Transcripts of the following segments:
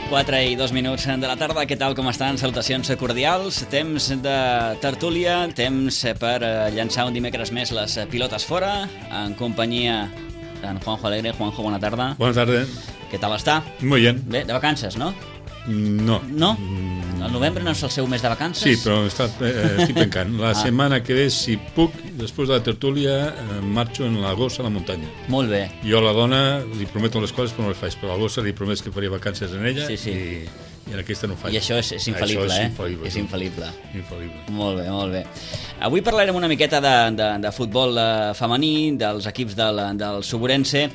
4:02 de la tarda, què tal, com estan? Salutacions cordials, temps de tertúlia, temps per llançar un dimecres més les pilotes fora, en companyia d'en Juanjo Alegre. Juanjo, bona tarda. Buenas tardes. Què tal està? Muy bien. Bé, de vacances, no? No. No? El novembre no és el seu mes de vacances? Sí, però estic pencant. La setmana que ve, si puc, després de la tertúlia, marxo en la gossa a la muntanya. Molt bé. Jo a la dona li prometo les coses, però no les faig. Però a la gossa li prometo que faria vacances en ella i en aquesta no ho faig. I això és infal·lible, això és infal·lible. Infal·lible. Molt bé, molt bé. Avui parlarem una miqueta de futbol femení, dels equips del Suburense.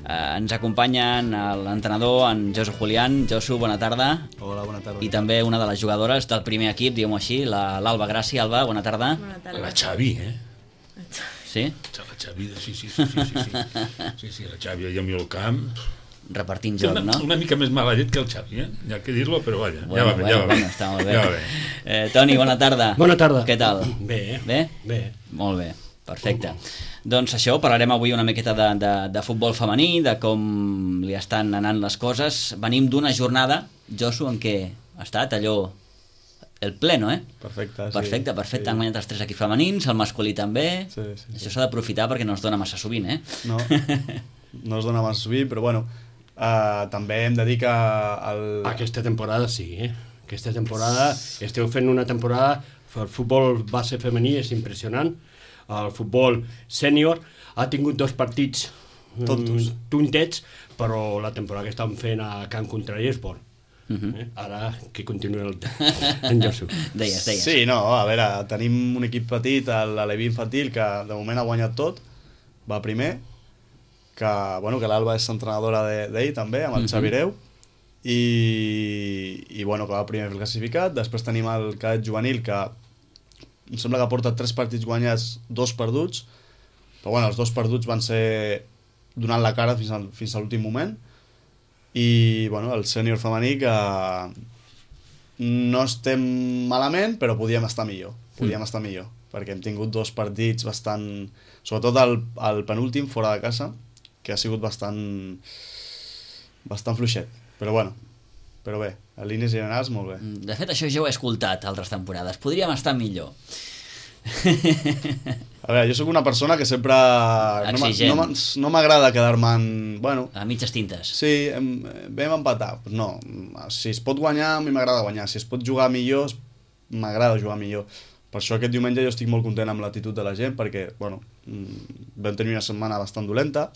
Ens acompanyen l'entrenador, en Josu Julián. Josu, bona tarda. Hola, bona tarda. I també una de les jugadores del primer equip, diguem-ho així, l'Alba Gràcia. Alba, bona tarda. Bona tarda. La Xavi, Sí? La Xavi, sí, la Xavi allà al camp. Repartint joc, no? Una mica més mala llet que el Xavi, Hi ha que dir-lo, però vaja, Bueno, ja va bé. Està molt bé. Ja va bé. Toni, bona tarda. Bona tarda. Què tal? Bé. Bé? Bé. Molt bé, perfecte. Doncs això, parlarem avui una miqueta de futbol femení, de com li estan anant les coses. Venim d'una jornada, Josu, en què ha estat allò el pleno, Perfecte, sí. Perfecte. Han guanyat els 3 equips femenins, el masculí també. Sí. Això s'ha d'aprofitar perquè no es dona massa sovint, No es dona massa sovint, però bueno, també hem de dir que Aquesta temporada sí, Aquesta temporada esteu fent una temporada, el futbol base femení és impressionant. El futbol sènior ha tingut 2 partits tontets, però la temporada que estan fent a Camp Contrari és bon. Ara que continuï en Josu. Deies. Sí, no, a veure, tenim un equip petit, l'Aleví Infantil, que de moment ha guanyat tot, va primer, que l'Alba és entrenadora d'ell també, amb el Xavi Reu, i que va primer fer el classificat. Després tenim el cadet juvenil, que em sembla que porta 3 partits guanyats, 2 perduts, però els 2 perduts van ser donant la cara fins a l'últim moment. I el sènior femení, que no estem malament, però podíem estar millor, perquè hem tingut 2 partits bastant, sobretot el penúltim fora de casa, que ha sigut bastant fluixet, però bé, a línies generals molt bé. De fet, això ja ho he escoltat altres temporades. Podríem estar millor. A veure, jo sóc una persona que sempre no m'agrada quedar-me en... A mitges tintes. Sí, vam empatar. No, si es pot guanyar, a mi m'agrada guanyar. Si es pot jugar millor, m'agrada jugar millor. Per això aquest diumenge jo estic molt content amb l'actitud de la gent, perquè vam tenir una setmana bastant dolenta,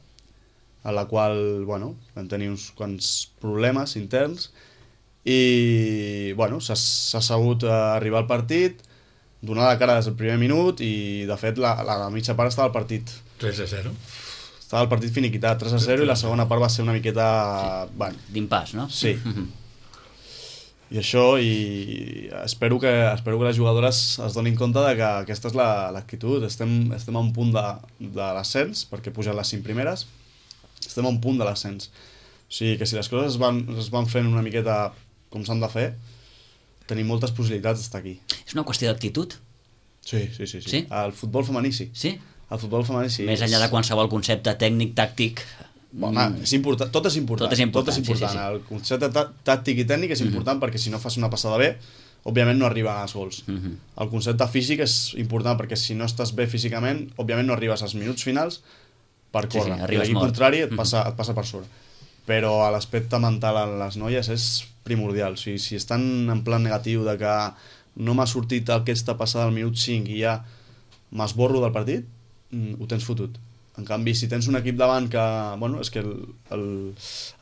en la qual vam tenir uns quants problemes interns, i s'ha sabut arribar al partit, donar la cara des del primer minut, i de fet la mitja part estava al partit 3-0. Estava el partit finiquitat, 3-0, i la segona part va ser una miqueta... d'impàs, no? Sí. I això, i espero que les jugadores es donin compte de que aquesta és l'actitud. Estem a un punt de l'ascens, perquè pugen les 5 primeres, estem a un punt de l'ascens. O sigui que si les coses es van fent una miqueta com s'han de fer, tenim moltes possibilitats d'estar aquí. És una qüestió d'actitud? Sí. Sí? El futbol femení sí. Sí? El futbol femení sí. Més enllà de qualsevol concepte tècnic, tàctic... És important, tot és important. Sí. El concepte tàctic i tècnic és important perquè si no fas una passada bé, òbviament no arriba als gols. El concepte físic és important perquè si no estàs bé físicament, òbviament no arribes als minuts finals per córrer. I l'equip contrari et passa per sobre. Però l'aspecte mental en les noies és primordial. O sigui, si estan en plan negatiu de que no m'ha sortit aquesta passada al minut 5 i ja m'esborro del partit, ho tens fotut. En canvi, si tens un equip davant que... és que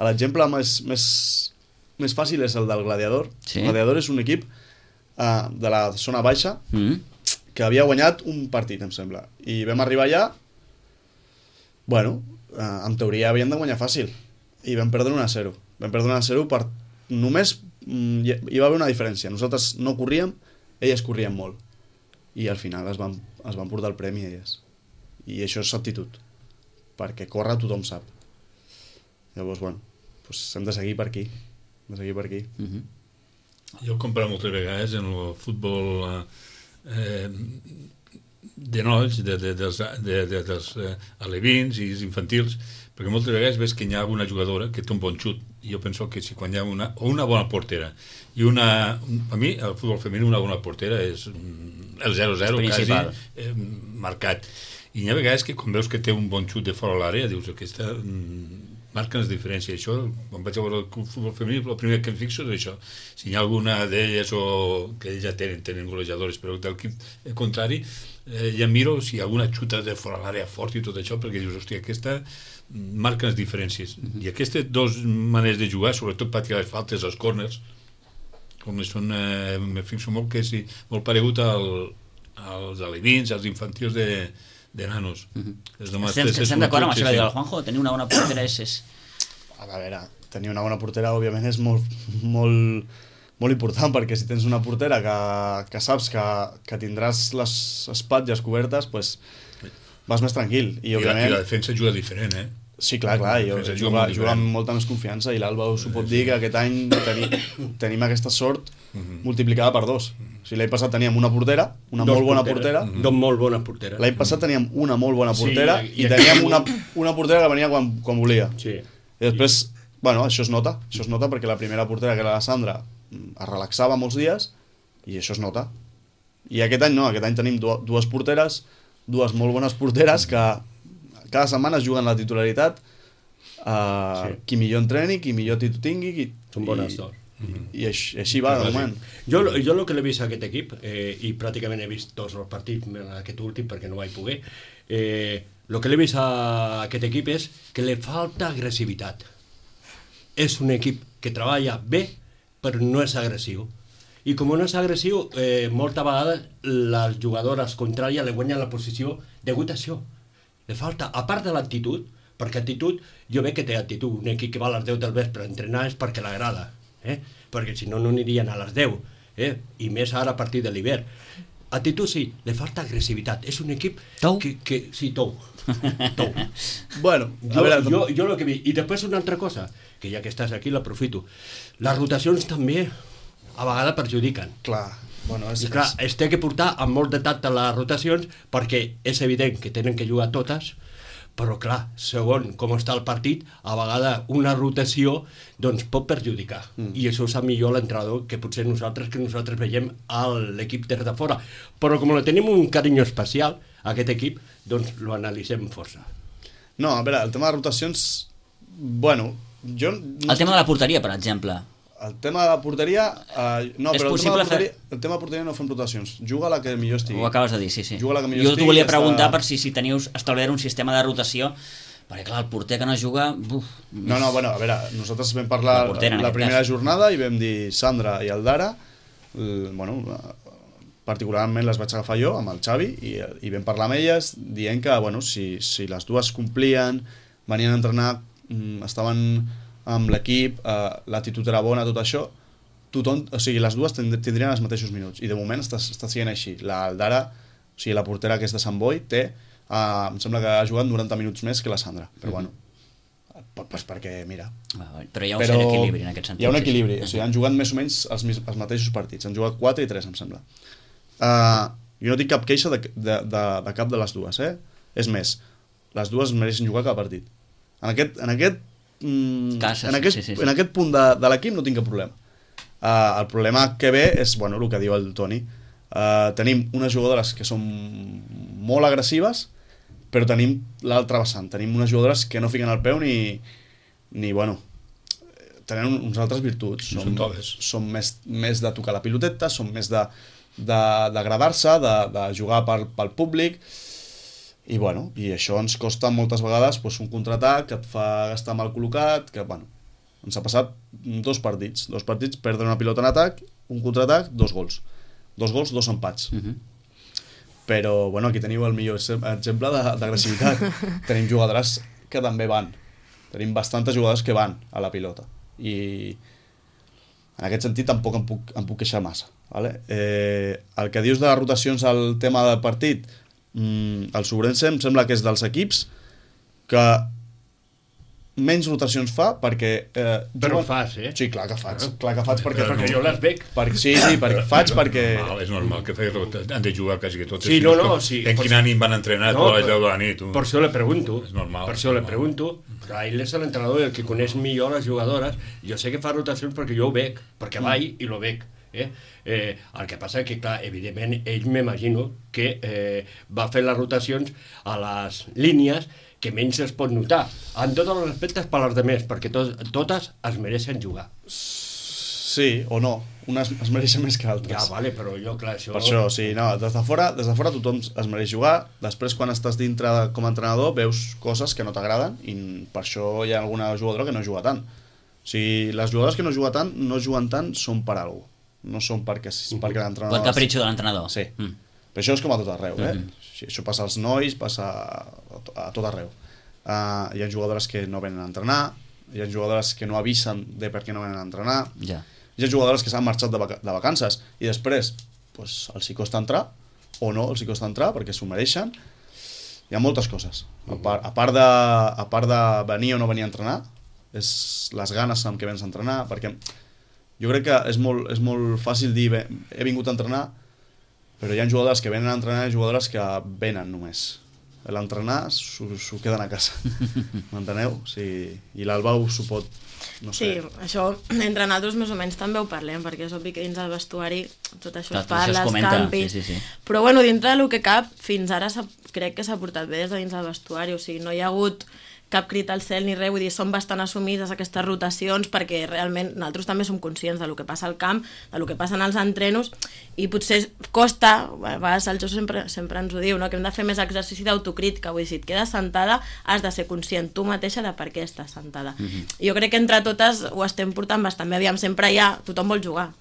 l'exemple més fàcil és el del Gladiador. Sí. El Gladiador és un equip de la zona baixa que havia guanyat un partit, em sembla. I vam arribar allà, en teoria havien de guanyar fàcil. I vam perdre 1-0. Vam perdre 1-0 per... Només hi va haver una diferència. Nosaltres no corríem, elles corrien molt. I al final es van portar el premi elles. I això és actitud. Perquè córrer tothom sap. Llavors, hem de seguir per aquí. Jo he comparat moltes vegades en el futbol de nois, dels alevins i infantils, perquè moltes vegades ves que hi ha alguna jugadora que té un bon xut, i jo penso que si quan hi ha una bona portera, i a mi el futbol femení una bona portera és el 0-0 quasi marcat, i hi ha vegades que quan veus que té un bon xut de fora a l'àrea dius aquesta marquen les diferències. Això, quan vaig a veure el futbol femení, el primer que em fixo és això. Si hi ha alguna d'elles o que ells ja tenen golejadores, però del equip contrari, ja miro si hi ha alguna xuta de fora l'àrea fort i tot això, perquè dius, hòstia, aquesta marca les diferències. I aquestes dues maneres de jugar, sobretot patir les faltes, els corners, com són, me fixo molt que és molt paregut als alevins, als infantils de nanos. Estem d'acord amb això que diu el Juanjo? Tenir una bona portera és... A veure, tenir una bona portera òbviament és molt important, perquè si tens una portera que saps que tindràs les espatlles cobertes, doncs vas més tranquil. I la defensa juga diferent, Sí, clar, i juga amb molta més confiança, i l'Alba us ho pot dir que aquest any tenim aquesta sort multiplicada per 2. O sigui, l'any passat teníem una portera, molt bona portera. Dos molt bones porteres. L'any passat teníem una molt bona portera i teníem una portera que venia quan volia. Sí. I després, bueno, això es nota perquè la primera portera, que era la Sandra, es relaxava molts dies i això es nota. I aquest any no, aquest any tenim dues porteres, dues molt bones porteres que cada setmana es juguen la titularitat, qui millor entreni, qui millor títol tingui. Són bones dos. I així va, de moment. Jo el que l'he vist a aquest equip, i pràcticament he vist tots els partits, aquest últim perquè no vaig poder, el que l'he vist a aquest equip és que li falta agressivitat. És un equip que treballa bé, però no és agressiu. I com no és agressiu, molta vegada les jugadores contràries li guanyen la posició degut a això. Li falta, a part de l'actitud, perquè actitud, jo veig que té actitud, un equip que va a les 10 del vespre a entrenar és perquè l'agrada, perquè si no, no anirien a les 10, i més ara a partir de l'hivern. Actitud sí, li falta agressivitat, és un equip que sí, tou. Bueno, jo el que vi, i després una altra cosa, que ja que estàs aquí l'aprofito, les rotacions també a vegades perjudiquen. Clar. Bueno, I clar, es té que portar amb molt de tacte les rotacions perquè és evident que tenen que jugar totes, però clar, segons com està el partit, a vegades una rotació doncs pot perjudicar, i això ho sap millor l'entrenador que potser nosaltres veiem a l'equip des de fora, però com tenim un carinyo especial a aquest equip, doncs lo analitzem força. No, a veure, el tema de rotacions, bueno, jo... El tema de la porteria, per exemple. El tema de la porteria... no, és però el tema de porteria no fem rotacions. Juga la que millor estigui. Ho acabes de dir, sí. Juga la que millor jo t'ho volia preguntar per si teniu establert un sistema de rotació, perquè clar, el porter que no juga... No, bueno, a veure, nosaltres vam parlar la primera jornada i vam dir Sandra i Aldara, bueno, particularment les vaig agafar jo amb el Xavi i vam parlar amb elles dient que, bueno, si les dues complien, venien a entrenar, estaven amb l'equip, l'actitud era bona, tot això, tothom, o sigui, les dues tindrien els mateixos minuts, i de moment està sent així. L'Aldara, o sigui, la portera que és de Sant Boi, té, em sembla que ha jugat 90 minuts més que la Sandra, però bueno, pues perquè, mira... Però hi ha un cert equilibri en aquest sentit. Hi ha un equilibri, o sigui, han jugat més o menys els mateixos partits, han jugat 4 i 3, em sembla. Jo no tinc cap queixa de cap de les dues, És més, les dues mereixen jugar cada partit. En aquest punt de l'equip no tinc cap problema. El problema que ve és, bueno, el que diu el Toni. Tenim unes jugadores que són molt agressives, però tenim l'altra vessant. Tenim unes jugadores que no fiquen el peu ni bueno, tenen uns altres virtuts. Són més de tocar la piloteta, són més d'agradar-se, de jugar pel públic, i bueno, i això ens costa moltes vegades un contraatac que et fa gastar mal col·locat, que bueno, ens ha passat dos partits, perdre una pilota en atac, un contraatac, 2 gols, 2 empats. Però bueno, aquí teniu el millor exemple d'agressivitat. Tenim jugadores que també van, tenim bastantes jugadores que van a la pilota, i en aquest sentit tampoc em puc queixar massa, vale? El que dius de les rotacions al tema del partit, el Sobrense em sembla que és dels equips que menys rotacions fa perquè... Però fas, eh? Sí, clar que faig perquè jo les veig. Sí, faig perquè... És normal que han de jugar quasi que totes. Sí, sí. En quin ànim van entrenar a les 10 de la nit? Per això le pregunto. És normal. Per això le pregunto. Però ell és l'entrenador i el que coneix millor les jugadores. Jo sé que fa rotacions perquè jo ho veig, perquè vaig i lo veig. El que passa que, clar, evidentment, ell m'imagino que va fer les rotacions a les línies que menys es pot notar, en tots els aspectes per als altres, perquè totes es mereixen jugar. Sí, o no. Unes es mereixen més que altres. Ja, vale, però jo, clar, això... Per això, sí, no, des de fora tothom es mereix jugar. Després, quan estàs dintre com a entrenador, veus coses que no t'agraden i per això hi ha alguna jugadora que no juga tant. O sigui, les jugadores que no juguen tant són per alguna cosa. No són perquè l'entrenador... El capritxo de l'entrenador. Sí. Però això és com a tot arreu, Això passa als nois, passa a tot arreu. Hi ha jugadores que no venen a entrenar, hi ha jugadores que no avisen de per què no venen a entrenar, hi ha jugadores que s'han marxat de vacances i després els hi costa entrar, o no els hi costa entrar perquè s'ho mereixen. Hi ha moltes coses. A part de venir o no venir a entrenar, és les ganes amb què vens a entrenar, perquè jo crec que és molt fàcil dir he vingut a entrenar, però hi ha jugadores que venen a entrenar i jugadores que venen només. L'entrenar s'ho queden a casa. M'enteneu? I l'Alba s'ho pot... No sé. Sí, això entre nosaltres més o menys també ho parlem, perquè és obvi que dins del vestuari tot això es parla, els canvis... Sí. Però bueno, dintre del que cap, fins ara crec que s'ha portat bé des de dins del vestuari, o sigui, no hi ha hagut cap crit al cel ni res, vull dir, són bastant assumides aquestes rotacions perquè realment nosaltres també som conscients del que passa al camp, del que passa als entrenos i potser costa, a vegades el Josu sempre ens ho diu, no? Que hem de fer més exercici d'autocrítica, vull dir, si et quedes sentada has de ser conscient tu mateixa de per què estàs sentada. Jo crec que entre totes ho estem portant bastant bé, aviam, sempre tothom vol jugar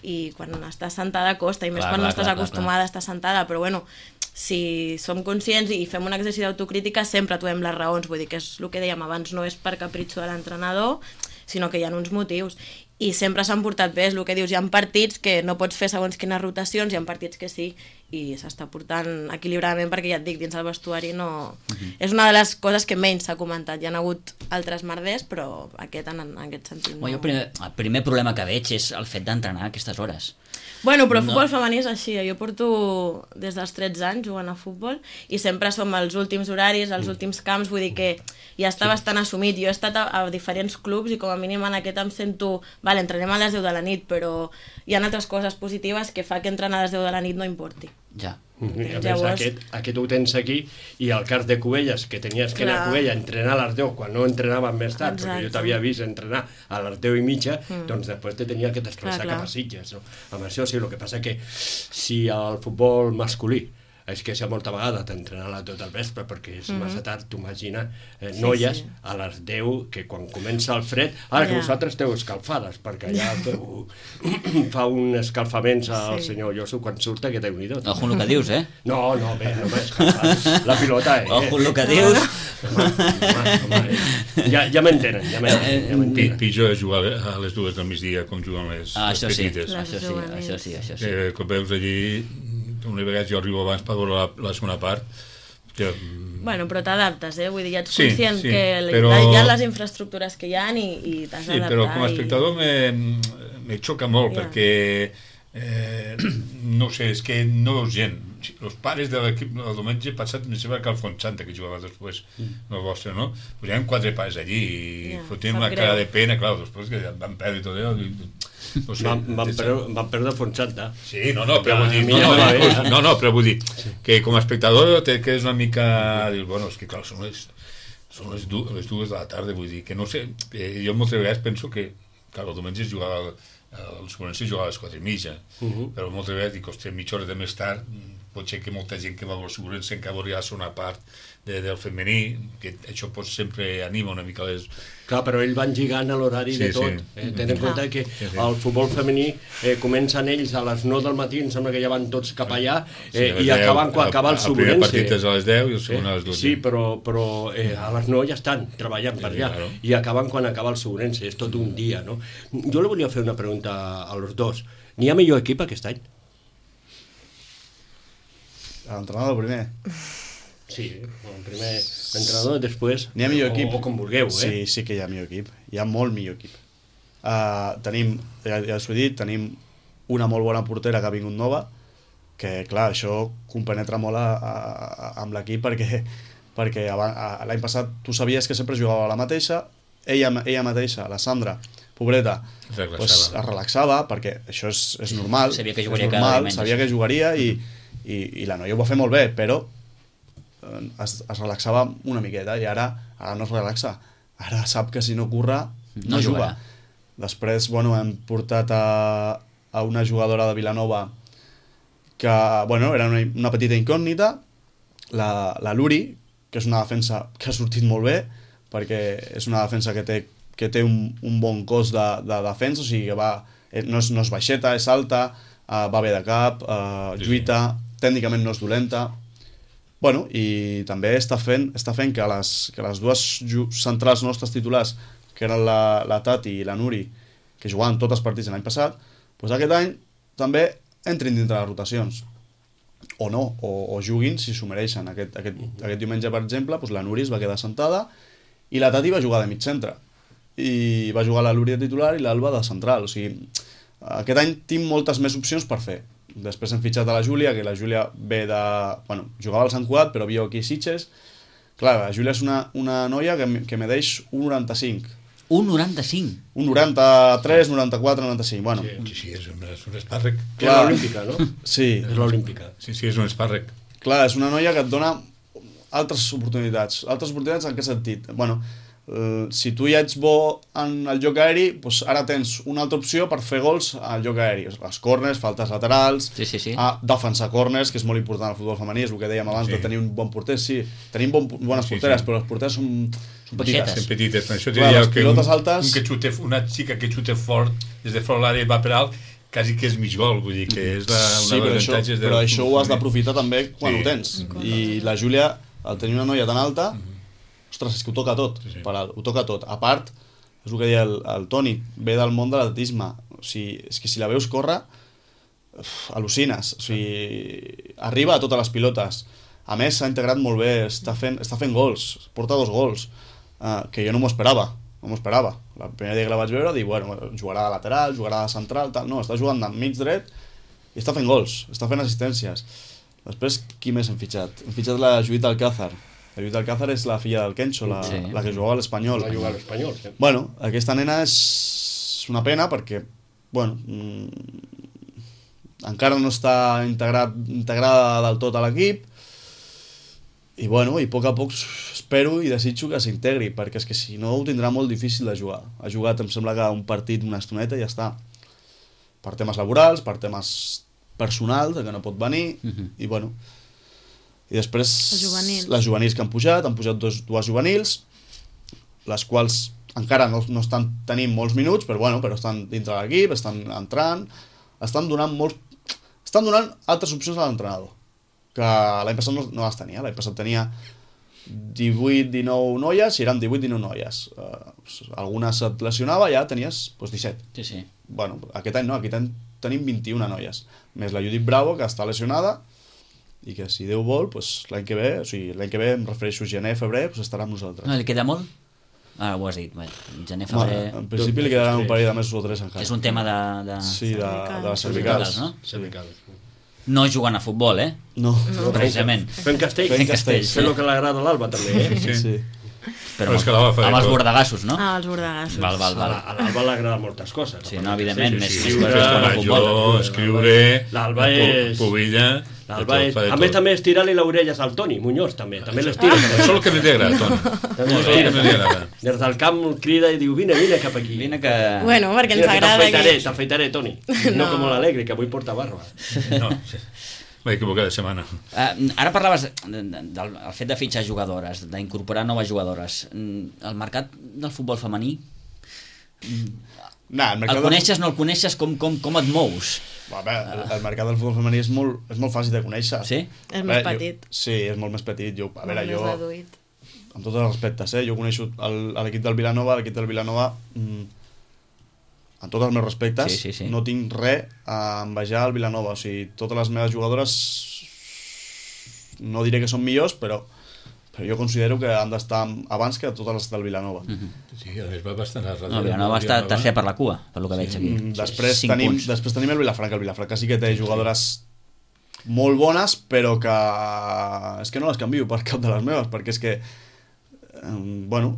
i quan estàs sentada costa i més quan no estàs acostumada a estar sentada, però bueno, si som conscients i fem un exercici d'autocrítica sempre trobem les raons, vull dir que és el que dèiem abans, no és per capritxo de l'entrenador, sinó que hi ha uns motius i sempre s'han portat bé, és el que dius, hi ha partits que no pots fer segons quines rotacions, hi ha partits que sí i s'està portant equilibradament perquè ja et dic, dins el vestuari no... És una de les coses que menys s'ha comentat, hi ha hagut altres merders però aquest en aquest sentit no... El primer problema que veig és el fet d'entrenar a aquestes hores. Bueno, però el futbol femení és així, jo porto des dels 13 anys jugant a futbol i sempre som els últims horaris, els últims camps, vull dir que ja està bastant assumit. Jo he estat a diferents clubs i com a mínim en aquest em sento, vale, entrenem a les 10 de la nit, però hi ha altres coses positives que fa que entrenar a les 10 de la nit no importi. Ja. Llavors... Aquest ho tens aquí i el cas de Cubelles, que tenies que anar a Cubella a entrenar a les 10 quan no entrenaven més tard, perquè jo t'havia vist entrenar a les 10 i mitja, doncs després te tenia que desplaçar cap a Sitges, no? Amb això sí, el que passa que si el futbol masculí és que molta vegada t'entrenar tot el vespre perquè és massa tard, tu imagina noies a les 10 que quan comença el fred, ara que vosaltres esteu escalfades perquè allà fa un escalfaments al senyor Josu quan surta que Déu-n'hi-do. Ojo el que dius, No, bé, no m'escalfat la pilota, Ojo el que dius. Ja m'entenen, Pitjor és jugar a les 2 del migdia com juguen les petites. Això sí. Com veus allí una vegada jo arribo abans per veure la segona part que... Bueno, però t'adaptes, vull dir, ja ets conscient que hi ha les infraestructures que hi ha i t'has d'adaptar. Sí, però com a espectador me xoca molt perquè no sé, és que no veus gent. Els pares de l'equip el diumenge passat em sembla que el Fontsanta que jugava després el vostre, no? Pues hi ha 4 pares allí i fotem una cara de pena, clar, després que van perdre tot allò. No sé, van perdre Fontsanta. Sí, però vull dir que com a espectador te quedes una mica dius, bueno, és que clar, són les 2 de la tarda, vull dir que no sé, jo moltes vegades penso que clar, el diumenge es jugava els començos jugava a les 4:30 però moltes vegades dic, hòstia, mitja hora de més tard pot ser que molta gent que va a l'assegurança encara volia ser una part del femení, que això pot sempre anima una mica les... Clar, però ells van lligant a l'horari de tot. Ten en compte que el futbol femení comencen ells a les 9 del matí, em sembla que ja van tots cap allà i acaben quan acaba el Sobrense. El primer partit és a les 10 i el segon a les 12. Sí, però a les 9 ja estan treballant per allà i acaben quan acaba el Sobrense, és tot un dia, no? Jo li volia fer una pregunta a los dos. N'hi ha millor equip aquest any? L'entrenador primer. Sí, el primer entrenador, després... N'hi ha millor equip. O com vulgueu, Sí que hi ha millor equip. Hi ha molt millor equip. Tenim, ja us ho he dit, tenim una molt bona portera que ha vingut nova, que, clar, això compenetra molt amb l'equip perquè l'any passat tu sabies que sempre jugava la mateixa, ella mateixa, la Sandra, pobreta, pues, es relaxava, perquè això és normal, sabia que jugaria cada diumenge. Sabia que jugaria i la noia ho va fer molt bé, però es relaxava una miqueta i ara no es relaxa. Ara sap que si no curra, no juga. Després, bueno, hem portat a una jugadora de Vilanova que, bueno, era una petita incògnita, la Luri, que és una defensa que ha sortit molt bé, perquè és una defensa que té un bon cos de defensa, o sigui que no és baixeta, és alta, va bé de cap, lluita, tècnicament no és dolenta. Bueno, i també està fent que les dues centrals nostres titulars, que eren la Tati i la Nuri, que jugaven tots els partits l'any passat, doncs aquest any també entrin dintre les rotacions. O no, o juguin si s'ho mereixen. Aquest diumenge, per exemple, doncs la Nuri es va quedar sentada i la Tati va jugar de mig centre. I va jugar la Luri de titular i l'Alba de central. O sigui, aquest any tinc moltes més opcions per fer. Després hem fitxat a la Júlia, que la Júlia ve de... Bueno, jugava al Sant Cugat, però viu aquí a Sitges. Clar, la Júlia és una noia que medeix 1,95. 1,95? 1,93, 94, 95, bueno. Sí, és un espàrrec. És l'olímpica, no? Sí. És l'olímpica. Sí, és un espàrrec. Clar, és una noia que et dona altres oportunitats. Altres oportunitats en què sentit? Bueno, si tu ja ets bo en el joc aeri, doncs ara tens una altra opció per fer gols al joc aeri. Les corners, faltes laterals, defensar corners, que és molt important al futbol femení, és el que dèiem abans de tenir un bon porter. Sí, tenim bones porteres, però les porteres són petites. Són petites. Això clar, les pilotes altes... Una xica que xuta fort, des de fora l'àrea va per alt, quasi que és mig gol, vull dir que és una d'avantatges... Però això ho has d'aprofitar també quan ho tens. I la Júlia, al tenir una noia tan alta... Ostres, és que ho toca tot, ho toca tot. A part, és el que deia el Toni, ve del món de l'atletisme. O sigui, és que si la veus córrer, al·lucines. O sigui, arriba a totes les pilotes. A més, s'ha integrat molt bé, està fent gols, porta 2 gols, que jo no m'ho esperava. No m'ho esperava. La primera dia que la vaig veure, dic, bueno, jugarà de lateral, jugarà de central, tal. No, està jugant de mig dret i està fent gols, està fent assistències. Després, qui més hem fitxat? Hem fitxat la Judit Alcázar. La Judit Alcázar és la filla del Kencho, la que jugava a l'Espanyol. La jugava a l'Espanyol, sí. Bueno, aquesta nena és una pena perquè, bueno, encara no està integrada del tot a l'equip i, bueno, i a poc espero i desitjo que s'integri, perquè és que si no ho tindrà molt difícil de jugar. Ha jugat, em sembla que un partit, una estoneta i ja està. Per temes laborals, per temes personals, que no pot venir, i, bueno... I després les juvenils que han pujat dues juvenils, les quals encara no estan tenint molts minuts, però estan dintre de l'equip, estan entrant, estan donant altres opcions a l'entrenador, que l'any passat no les tenia. L'any passat tenia 18-19 noies i eren 18-19 noies. Algunes et lesionava, ja tenies 17. Sí. Bueno, aquest any no, aquest any tenim 21 noies, més la Judit Bravo, que està lesionada, i que si Déu vol, l'any que ve, em refereixo a gener, febrer, estarà amb nosaltres. No, li queda molt? Ara ho has dit, gener, febrer... En principi li quedaran un parell de mesos o 3 encara. És un tema de... Sí, de les cervicals. No? Cervicals. No jugant a futbol, No. Precisament. Fent castells. Fent el que l'agrada a l'Alba, també, Sí. Però amb els bordegassos, no? Ah, els bordegassos. Val. A l'Alba l'agrada moltes coses. Sí, no, evidentment, més escriure, l'Alba és... Pobilla... A més, també estirar-li les orelles al Toni Muñoz, també l'estira. Això és el que m'hi agrada, Toni. També l'estira. Des del camp crida i diu, vine cap aquí. Vine que... Bueno, perquè ens agrada que... T'afeitaré, Toni. No com l'Alegre, que avui porta barba. No, m'he equivocat de setmana. Ara parlaves del fet de fitxar jugadores, d'incorporar noves jugadores. El mercat del futbol femení... El coneixes, no el coneixes, com et mous? El mercat del futbol femení és molt fàcil de conèixer. Sí? És més petit. Sí, és molt més petit. Jo, més reduït. Amb tots els respectes, jo coneixo l'equip del Vilanova, amb tots els meus respectes, sí. no tinc res a envejar al Vilanova. O sigui, totes les meves jugadores no diré que són millors, però però jo considero que han d'estar abans que totes les del Vilanova. Sí, a més va bastant a No, Vilanova està tercer per la cua, per lo que veig aquí. Després tenim el Vilafranca. El Vilafranca sí que té jugadores molt bones, però que és que no les canvio per cap de les meves, perquè és que bueno,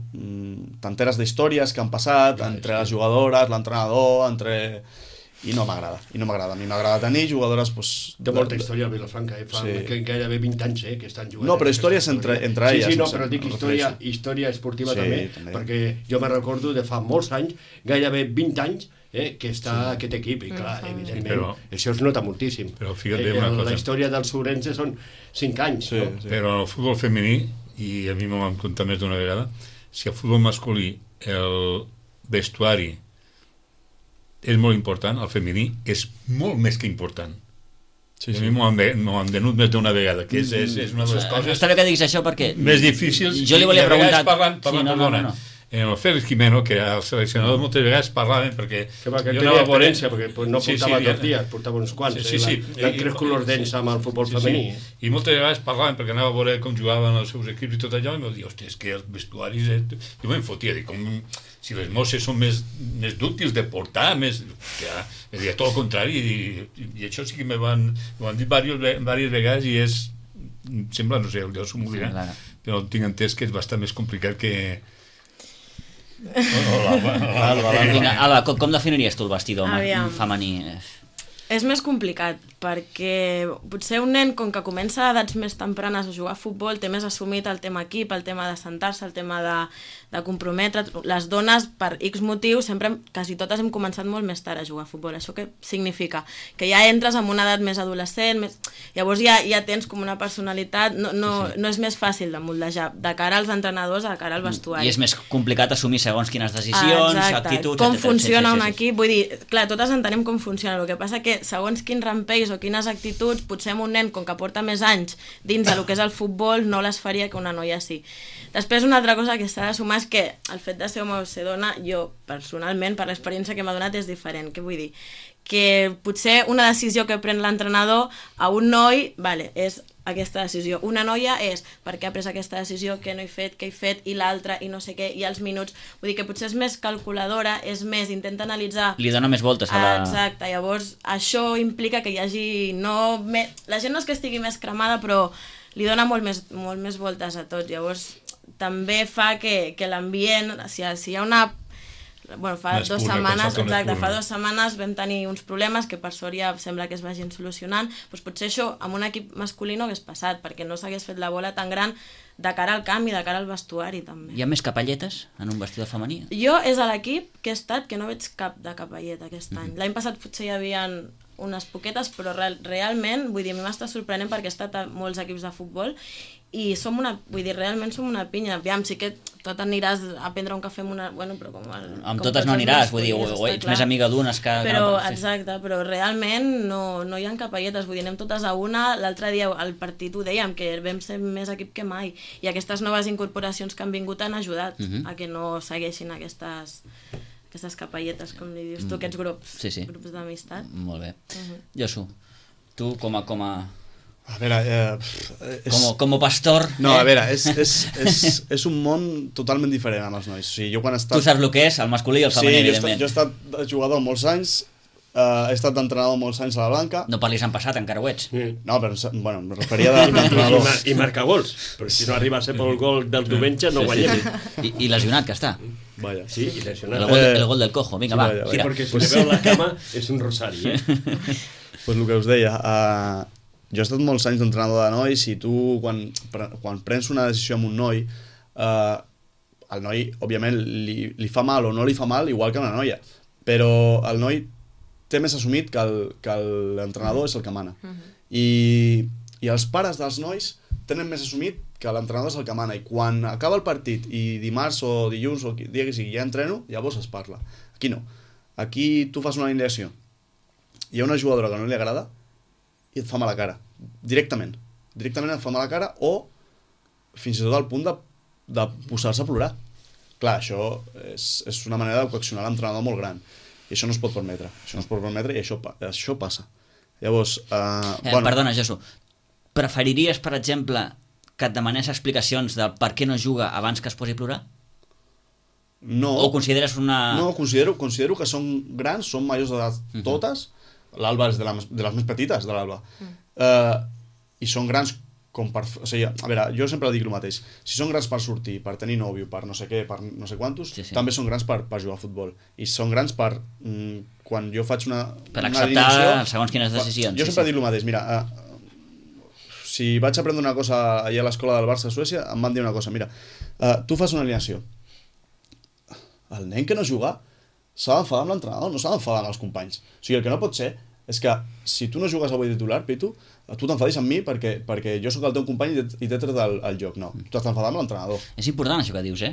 tanteres d'històries que han passat entre les jugadores, l'entrenador, i no m'agrada. A mi m'agrada tenir jugadores de molta història al Vilafranca, fa gairebé 20 anys que estan jugant. No, però històries entre elles. Sí, no, però dic història esportiva també, perquè jo me recordo de fa molts anys, gairebé 20 anys, que està aquest equip, i clar, evidentment, això es nota moltíssim. Però fíjate una cosa. La història dels Ourense són 5 anys. Però en el futbol femení, i a mi m'ho vam contar més d'una vegada, si el futbol masculí el vestuari és molt important, el femení és molt més que important. A mi m'ho han venut més d'una vegada, que és una de les coses... Està bé que diguis això perquè... més difícils. Jo li volia preguntar... Perdona. En el Félix Jimeno, que era el seleccionador, moltes vegades parlaven perquè... Que tenia experiència, perquè no portava 2 dies, portava uns quants. L'han crescut els dents amb el futbol femení. I moltes vegades parlaven perquè anava a veure com jugaven els seus equips i tot allò, i m'ho diu, hòstia, és que els vestuaris... Jo me'n fotia, dic, si les mosses són més dúctils de portar, més... Ja, tot el contrari, i això sí que m'ho han dit diverses vegades i és... Sembla, no sé, jo s'ho m'ho dirà, però tinc entès que és bastant més complicat que... Alba, com definiries tu el vestidor femení? És més complicat, perquè potser un nen, com que comença a edats més tempranes a jugar a futbol, té més assumit el tema equip, el tema de sentar-se, el tema de comprometre. Les dones, per X motius, sempre, quasi totes hem començat molt més tard a jugar a futbol. Això què significa? Que ja entres en una edat més adolescent, llavors ja tens com una personalitat, no és més fàcil de moldejar, de cara als entrenadors, de cara al vestuari. I és més complicat assumir segons quines decisions, actituds... Com funciona un equip, vull dir, clar, totes entenem com funciona, el que passa que segons quins rampells o quines actituds, potser un nen, com que porta més anys dins del que és el futbol, no les faria que una noia sí. Després, una altra cosa que s'ha de sumar és que el fet de ser home o ser dona, jo, personalment, per l'experiència que m'ha donat, és diferent. Què vull dir? Que potser una decisió que pren l'entrenador a un noi, és aquesta decisió. Una noia és per què ha pres aquesta decisió, què no he fet, què he fet, i l'altra, i no sé què, i els minuts. Vull dir que potser és més calculadora, és més, intenta analitzar... Li dona més voltes a la... Exacte, llavors això implica que hi hagi... La gent no és que estigui més cremada, però li dona molt més voltes a tot. Llavors també fa que l'ambient, si hi ha una... fa 2 setmanes, fa 2 setmanes vam tenir uns problemes que per sort ja sembla que es vagin solucionant, doncs potser això amb un equip masculí no hagués passat, perquè no s'hagués fet la bola tan gran de cara al canvi, de cara al vestuari també. Hi ha més capelletes en un vestidor femení? Jo és a l'equip que he estat que no veig cap de capelleta aquest any. L'any passat potser hi havia unes poquetes, però realment, vull dir, a mi m'està sorprenent perquè he estat a molts equips de futbol i realment som una pinya. Aviam, sí que tot aniràs a prendre un cafè amb una... Bueno, però amb totes no aniràs, vull dir, o ets més amiga d'unes que... Però, exacte, però realment no hi ha capelletes, vull dir, anem totes a una. L'altre dia al partit ho dèiem, que vam ser més equip que mai, i aquestes noves incorporacions que han vingut han ajudat a que no segueixin aquestes capelletes, com li dius tu, aquests grups d'amistat. Molt bé. Josu, tu com a... A veure... Com a pastor... No, a veure, és un món totalment diferent amb els nois. O sigui, jo quan he estat... Tu saps el que és, el masculí i el femení, evidentment. Sí, jo he estat jugador molts anys, he estat entrenador molts anys a la Blanca. No parlis en passat, encara ho ets. No, però, bueno, em referia d'entrenador. I marcar gols, perquè si no arriba a ser pel gol del diumenge no guanyem. I lesionat que està. Vaya. Sí, i lesionat. El gol del cojo, vinga, va, tira. Perquè si le veu la cama és un rosari, Pues el que us deia, jo he estat molts anys d'entrenador de nois i tu, quan prens una decisió amb un noi, el noi, òbviament, li fa mal o no li fa mal, igual que una noia. Però el noi té més assumit que l'entrenador és el que mana. I els pares dels nois tenen més assumit que l'entrenador és el que mana. I quan acaba el partit i dimarts o dilluns o dia que sigui ja entreno, llavors es parla. Aquí no. Aquí tu fas una alineació. Hi ha una jugadora que no li agrada i et fa mala cara, directament et fa mala cara, o fins i tot al punt de posar-se a plorar. Clar, això és una manera de coaccionar l'entrenador molt gran i això no es pot permetre, i això passa. Llavors, Perdona, Josu, preferiries, per exemple, que et demanés explicacions del per què no juga abans que es posi a plorar? No. O consideres una... No, considero que són grans, són majors d'edat totes. L'Alba és de les més petites, de l'Alba. I són grans com per... O sigui, a veure, jo sempre dic el mateix. Si són grans per sortir, per tenir nòvio, per no sé què, per no sé quantos, també són grans per jugar a futbol. I són grans per... quan jo faig una... Per acceptar segons quines decisions. Jo sempre dic el mateix. Mira, si vaig aprendre una cosa allà a l'escola del Barça a Suècia, em van dir una cosa. Mira, tu fas una alineació. El nen que no juga s'ha d'enfadar amb l'entrenador, no s'ha d'enfadar amb els companys. O sigui, el que no pot ser és que si tu no jugues avui titular, Pitu, tu t'enfadis amb mi perquè jo sóc el teu company i t'he tret el joc. No, tu t'has d'enfadar amb l'entrenador. És important això que dius,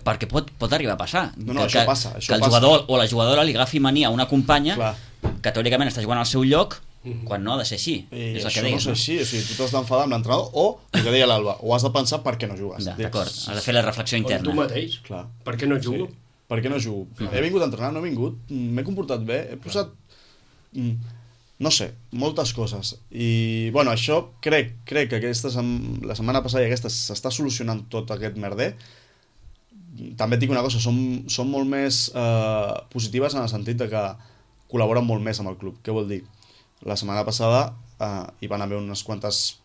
perquè pot arribar a passar. No, això passa. Que el jugador o la jugadora li agafi mania a una companya que teòricament està jugant al seu lloc quan no ha de ser així. És el que deies, no és així, o sigui, tu t'has d'enfadar amb l'entrenador o, el que deia l'Alba, o has de pensar per què no jugues. D'acord, has de fer la reflexió interna. O tu mateix, per què no jugo? Per què no jugo? He vingut a entrenar, no he vingut, m'he comportat bé, he posat... no sé, moltes coses. I, bueno, això crec que la setmana passada i aquesta s'està solucionant tot aquest merder. També et dic una cosa, són molt més positives en el sentit de que col·laboren molt més amb el club. Què vol dir? La setmana passada hi van haver unes quantes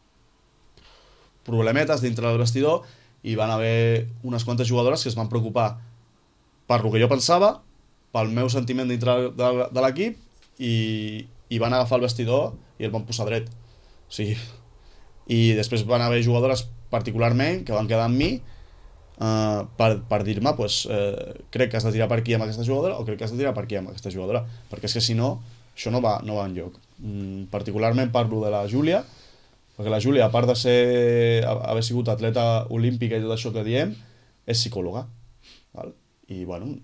problemetes dintre del vestidor i van haver unes quantes jugadores que es van preocupar per lo que jo pensava, pel meu sentiment dintre de l'equip i van agafar el vestidor i el van posar dret. O sigui, i després van haver jugadores particularment que van quedar amb mi per dir-me crec que has de tirar per aquí amb aquesta jugadora o crec que has de tirar per aquí amb aquesta jugadora, perquè és que si no això no va enlloc. Particularment parlo de la Júlia, perquè la Júlia, a part de haver sigut atleta olímpica i tot això que diem, és psicòloga, val? I bueno,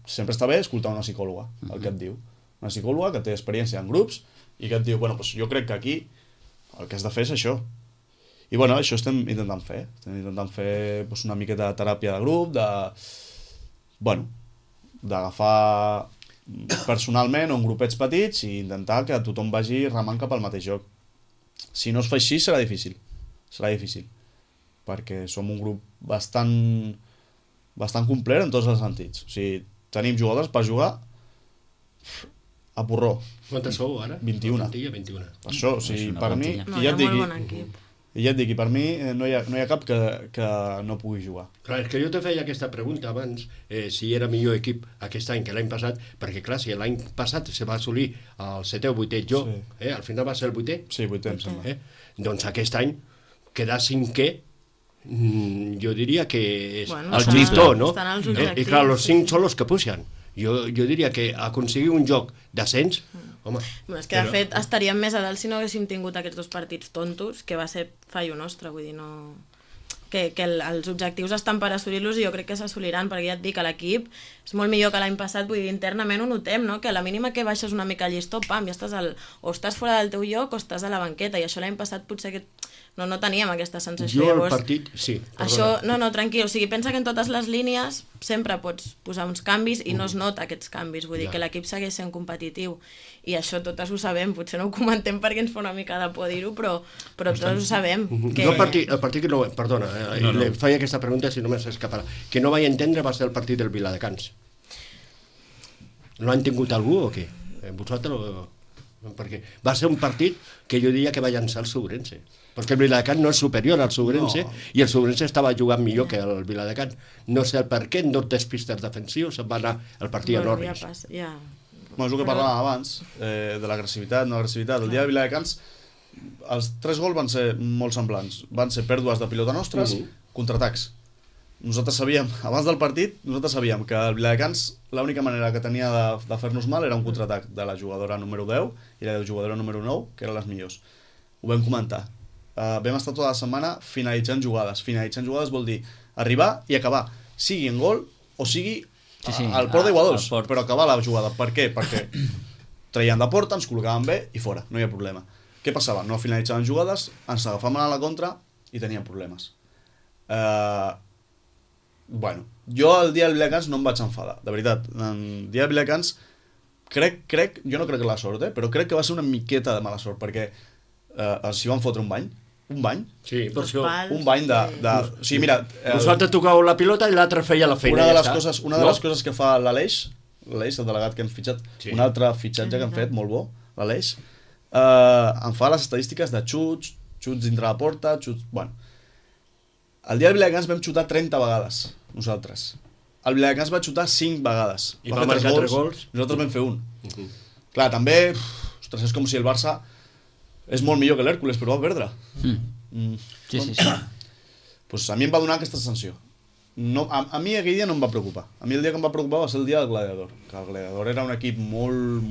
sempre està bé escoltar una psicòloga el que et diu, una psicòloga que té experiència en grups i que et diu, bueno, doncs jo crec que aquí el que has de fer és això. I bueno, això estem intentant fer una miqueta de teràpia de grup, d'agafar personalment o en grupets petits i intentar que tothom vagi remant cap al mateix joc. Si no es fa així serà difícil, perquè som un grup bastant complet en tots els sentits. O sigui, tenim jugadors per jugar a porró. Quantes sou ara? 21. 21. Per això, o sigui, per mi... No, hi ha molt bon equip. I ja et dic, i per mi no hi ha cap que no pugui jugar. Clar, és que jo te feia aquesta pregunta abans, si era millor equip aquest any que l'any passat, perquè clar, si l'any passat se va assolir el 7è o 8è lloc, al final va ser el 8è. Sí, 8è, em sembla. Doncs aquest any quedar 5è, jo diria que és el llistó, no? Estan els objectius. I clar, els 5 són els que pugen. Jo diria que aconseguir un joc d'ascens, home... És que de fet estaríem més a dalt si no haguéssim tingut aquests 2 partits tontos, que va ser fallo nostre, vull dir, no... que els objectius estan per assolir-los i jo crec que s'assoliran, perquè ja et dic que l'equip és molt millor que l'any passat, vull dir, internament ho notem, no? Que a la mínima que baixes una mica el llistó, pam, ja estàs o estàs fora del teu lloc o estàs a la banqueta, i això l'any passat potser que no teníem aquesta sensació. Jo al partit, sí, perdona. Això, no, tranquil, o sigui, pensa que en totes les línies sempre pots posar uns canvis i no es nota aquests canvis, vull dir que l'equip segueix sent competitiu i això totes ho sabem, potser no ho comentem perquè ens fa una mica de por dir-ho, però tots ho sabem. Que... Jo el partit que no... Perdona, li faig aquesta pregunta si no m'has escapat. Que no vaig entendre va ser el partit del Viladecans. No han tingut algú o què? Vosaltres... Perquè va ser un partit que jo diria que va llançar el Subrense, perquè el Viladecans no és superior al Subrense i el Subrense estava jugant millor que el Viladecans. No sé el per què, en 2 despistes defensius se'n va anar el partit a Norris. Ja. És el que parlàvem abans, de l'agressivitat, no agressivitat. El dia de Viladecans els 3 gols van ser molt semblants. Van ser pèrdues de pilota nostres, contraatacs. Nosaltres sabíem, abans del partit, que el Viladecans l'única manera que tenia de fer-nos mal era un contraatac de la jugadora número 10 i la jugadora número 9, que eren les millors. Ho vam comentar. Vam estar tota la setmana finalitzant jugades. Finalitzant jugades vol dir arribar i acabar, sigui en gol o sigui al port d'Iguadols, però acabar la jugada. Per què? Perquè traien de porta, ens col·locaven bé i fora, no hi ha problema. Què passava? No finalitzaven jugades, ens agafaven a la contra i teníem problemes. Bueno, jo el dia del Viladecans no em vaig enfadar, de veritat. El dia del Viladecans jo no crec que la sort, però crec que va ser una miqueta de mala sort, perquè els hi van fotre un bany, un bany. Sí, per això. Un bany de... O sigui, mira... Vosaltres tocàveu la pilota i l'altre feia la feina. Una de les coses que fa l'Aleix, el delegat que hem fitxat, un altre fitxatge que hem fet, molt bo, l'Aleix, em fa les estadístiques de xuts dintre la porta, xuts... Bueno, el dia del Viladecans vam xutar 30 vegades, nosaltres. El Viladecans va xutar 5 vegades. I va marcar 3 gols. Nosaltres vam fer un. Clar, també, ostres, és com si el Barça és molt millor que l'Hèrcules, però va perdre. Sí. Pues a mi em va donar aquesta sanció. No, a mi aquell dia no em va preocupar. A mi el dia que em va preocupar va ser el dia del Gladiador, que el Gladiador era un equip molt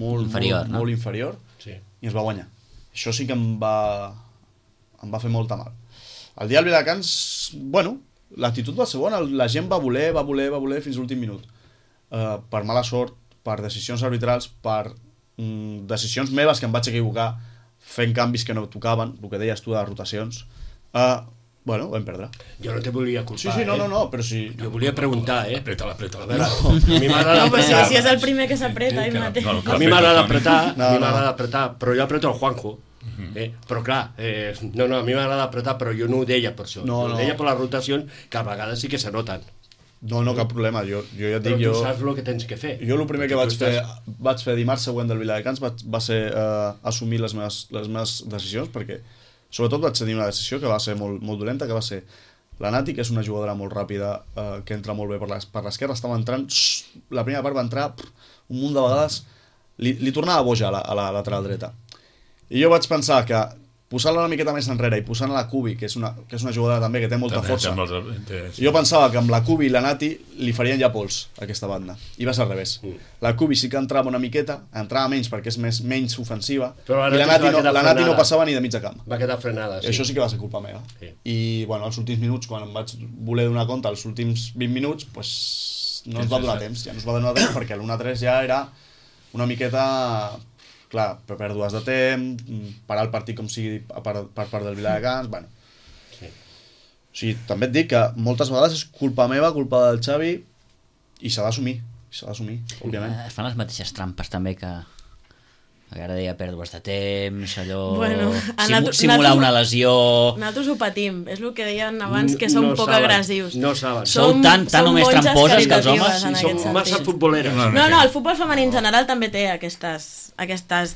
inferior sí. I ens va guanyar. Això sí que em va fer molta mal. El dia del Viladecans, bueno, l'actitud va ser bona, la gent va voler fins a l'últim minut. Per mala sort, per decisions arbitrals, per decisions meves que em vaig equivocar fent canvis que no tocaven, el que deies tu de rotacions. Bueno, vam perdre. Jo no te volia culpar, Sí, no, però sí... Jo volia preguntar, Apreta. A mi m'agrada apretar. Si és el primer que s'apreta, ell mateix. A mi m'agrada apretar, però jo apreto el Juanjo. Però clar, a mi m'agrada apretar, però jo no ho deia per això. Ho deia per les rotacions, que a vegades sí que se noten. No, cap problema. Jo ja et dic... Però tu saps el que tens que fer. Jo el primer que vaig fer dimarts següent del Viladecans va ser assumir les meves decisions, perquè sobretot vaig tenir una decisió que va ser molt dolenta, que va ser la Nati, que és una jugadora molt ràpida, que entra molt bé per l'esquerra, estava entrant, la primera part va entrar un munt de vegades, li tornava boja a la lateral dreta. I jo vaig pensar que posant-la una miqueta més enrere i posant la Cubi, que és una jugadora també que té molta força, jo pensava que amb la Cubi i la Nati li farien ja pols a aquesta banda, i va ser al revés. La Cubi sí que entrava una miqueta, entrava menys perquè és menys ofensiva, i la Nati no passava ni de mitja camp. Va quedar frenada, sí. Això sí que va ser culpa meva. I bueno, els últims minuts, quan em vaig voler donar compte, els últims 20 minuts, pues, no ens va donar temps, perquè l'1-3 ja era una miqueta... Clar, pèrdues de temps, parar el partit com sigui per part del Viladecans, bueno. Sí. O sigui, també et dic que moltes vegades és culpa meva, culpa del Xavi, i s'ha d'assumir, òbviament. Es fan les mateixes trampes també que ara deia pèrdues de temps, allò... Bueno, simular una lesió... Nosaltres ho patim, és el que deien abans, que som poc agressius. No saben. Sou tan o més tramposes que els homes? Som massa futboleres. No, el futbol femení en general també té aquestes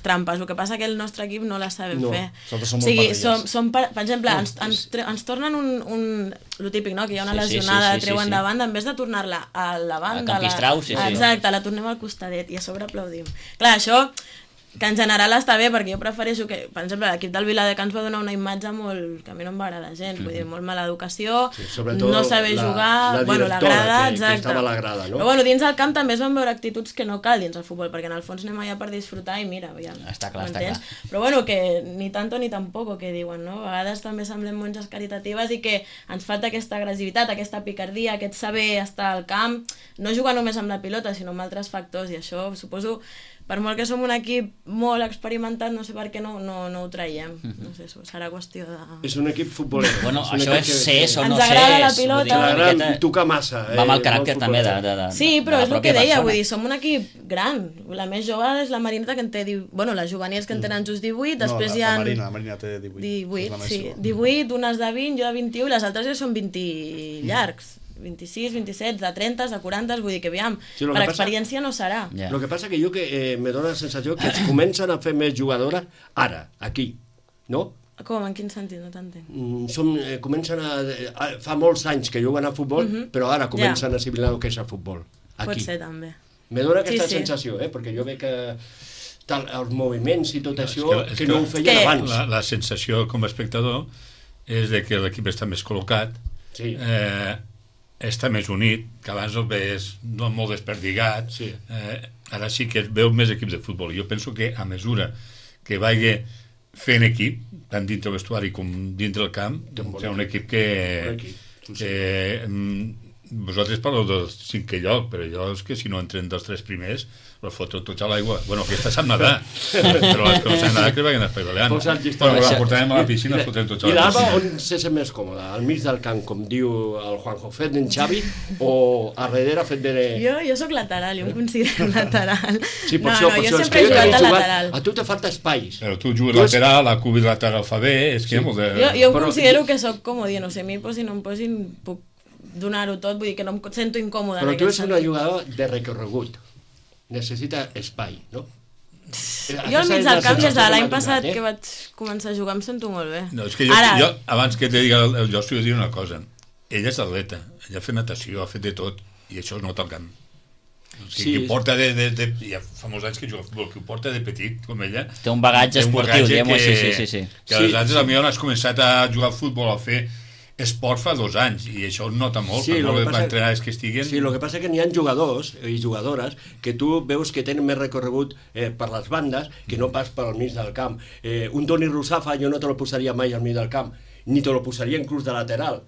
trampes, el que passa que el nostre equip no les sabem fer. Nosaltres som molt per exemple, ens tornen el típic, no? Que hi ha una lesionada, treuen de banda, en vez de tornar-la a la banda, exacte, la tornem al costadet i a sobre aplaudim. Clar, això que en general està bé, perquè jo prefereixo que, per exemple, l'equip del Viladecans va donar una imatge molt, que a mi no em va agradar gens, vull dir, molt mala educació, no saber jugar, la grada, exacte. Que estava a la grada, no? Però bueno, dins del camp també es van veure actituds que no cal dins el futbol, perquè en el fons anem allà per disfrutar i mira, ja, està clar. Però bueno, que ni tanto ni tampoco, que diuen, no? A vegades també semblem monges caritatives i que ens falta aquesta agressivitat, aquesta picardia, aquest saber estar al camp, no jugar només amb la pilota, sinó amb altres factors, i això, suposo, per molt que som un equip molt experimentat, no sé per què no ho traiem. No sé, serà qüestió de... És un equip futboler. Bueno, això és ser o no ser. Ens agrada la pilota. T'agrada tocar massa. Va amb el caràcter també de sí, però és el que deia, vull dir, som un equip gran. La més jove és la Marineta, que en té... Bueno, les juvenils que en tenen just 18, després hi ha... La Marina té 18. 18, sí. 18, unes de 20, jo de 21, i les altres ja són 20 llargs. 26, 27, de 30, de 40, vull dir que aviam, sí, per experiència no serà. El que passa que jo me dóna la sensació que es comencen a fer més jugadores ara, aquí, no? Com? En quin sentit? No t'entenc. Comencen fa molts anys que juguen a futbol, però ara comencen a assimilar el que és el futbol. Aquí. Pot ser, també. Me dóna aquesta sensació, perquè jo veig que els moviments i tot això, que no ho feien abans. La sensació com a espectador és de que l'equip està més col·locat, està més unit, que abans el veies molt desperdigat, ara sí que es veu més equips de futbol. Jo penso que a mesura que vagi fent equip, tant dintre el vestuari com dintre el camp, serà un equip que vosaltres parleu del 5è lloc, però allò és que si no entren dels 3 primers, els fotreu tots a l'aigua. Bueno, aquesta sap nedar, però els que no saben nedar que vagin espaivalant. Bueno, la portarem a la piscina, els fotrem tots a I la l'Alba piscina. on se sent més còmode? Al mig del camp, com diu el Juanjo, fet d'en Xavi, o a darrere fet de... Jo soc lateral, jo em considero lateral. Sí, per això, jo és sempre he que jugat de jugat- lateral. A tu te falta espais. Però tu jugues lateral, la cubi lateral fa bé, és que hi ha molt de... Jo em Però- considero que sóc comodí, no sé, a mi posin o em posin, puc donar-ho tot, vull dir que no em sento incòmoda. Però en tu aquest ets una sentit. jugadora de recorregut. Necessita espai, no? Jo al mig del camp, des de l'any passat que que vaig començar a jugar, em sento molt bé. No, és que jo abans que et digui el Josu, jo diré una cosa. Ella és atleta, ella ha fet natació, ha fet de tot, i això es nota al camp. O sigui, Sí. que porta ja fa molts anys que juga a futbol, que ho porta de petit, com ella. Té un bagatge esportiu, diguem-ho així, sí. Que aleshores potser has començat a jugar a futbol, a fer esport fa 2 anys, i això es nota molt, Sí, per lo que molt passa- entrenats que estiguen. Sí, el que passa és que n'hi ha jugadors i jugadores que tu veus que tenen més recorregut per les bandes que no pas per al mig del camp. Un Toni Rusafa jo no te lo posaria mai al mig del camp, ni te lo posaria inclús de lateral.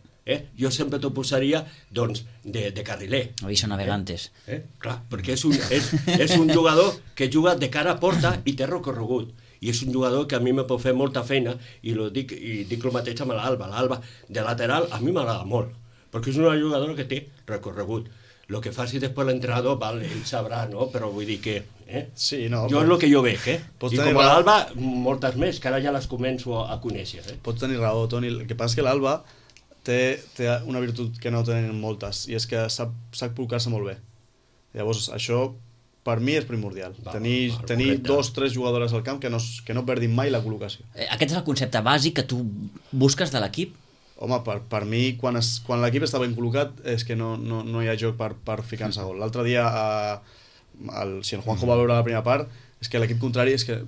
Jo sempre t'ho posaria doncs, de carriler. Aviso navegantes. Clar, perquè és un jugador que juga de cara a porta i té recorregut. I és un jugador que a mi me pot fer molta feina i dic el mateix amb l'Alba. L'Alba de lateral a mi m'agrada molt, perquè és una jugadora que té recorregut. El que faci després l'entrenador, ell sabrà, no? Però vull dir que... Sí, no, jo és el que jo veig, Pots I tenir com a raó. l'Alba, moltes més, que ara ja les començo a conèixer. Pots tenir raó, Toni. El que passa és que l'Alba té una virtut que no tenen moltes, i és que sap col·locar-se molt bé. Llavors, això per mi és primordial. Tenir correcte. 2 o 3 jugadores al camp que no perdin mai la col·locació. Aquest és el concepte bàsic que tu busques de l'equip? Home, per mi, quan l'equip està ben col·locat, és que no hi ha joc per ficar-se gol. L'altre dia, si el Juanjo va veure la primera part, és que l'equip contrari, és que,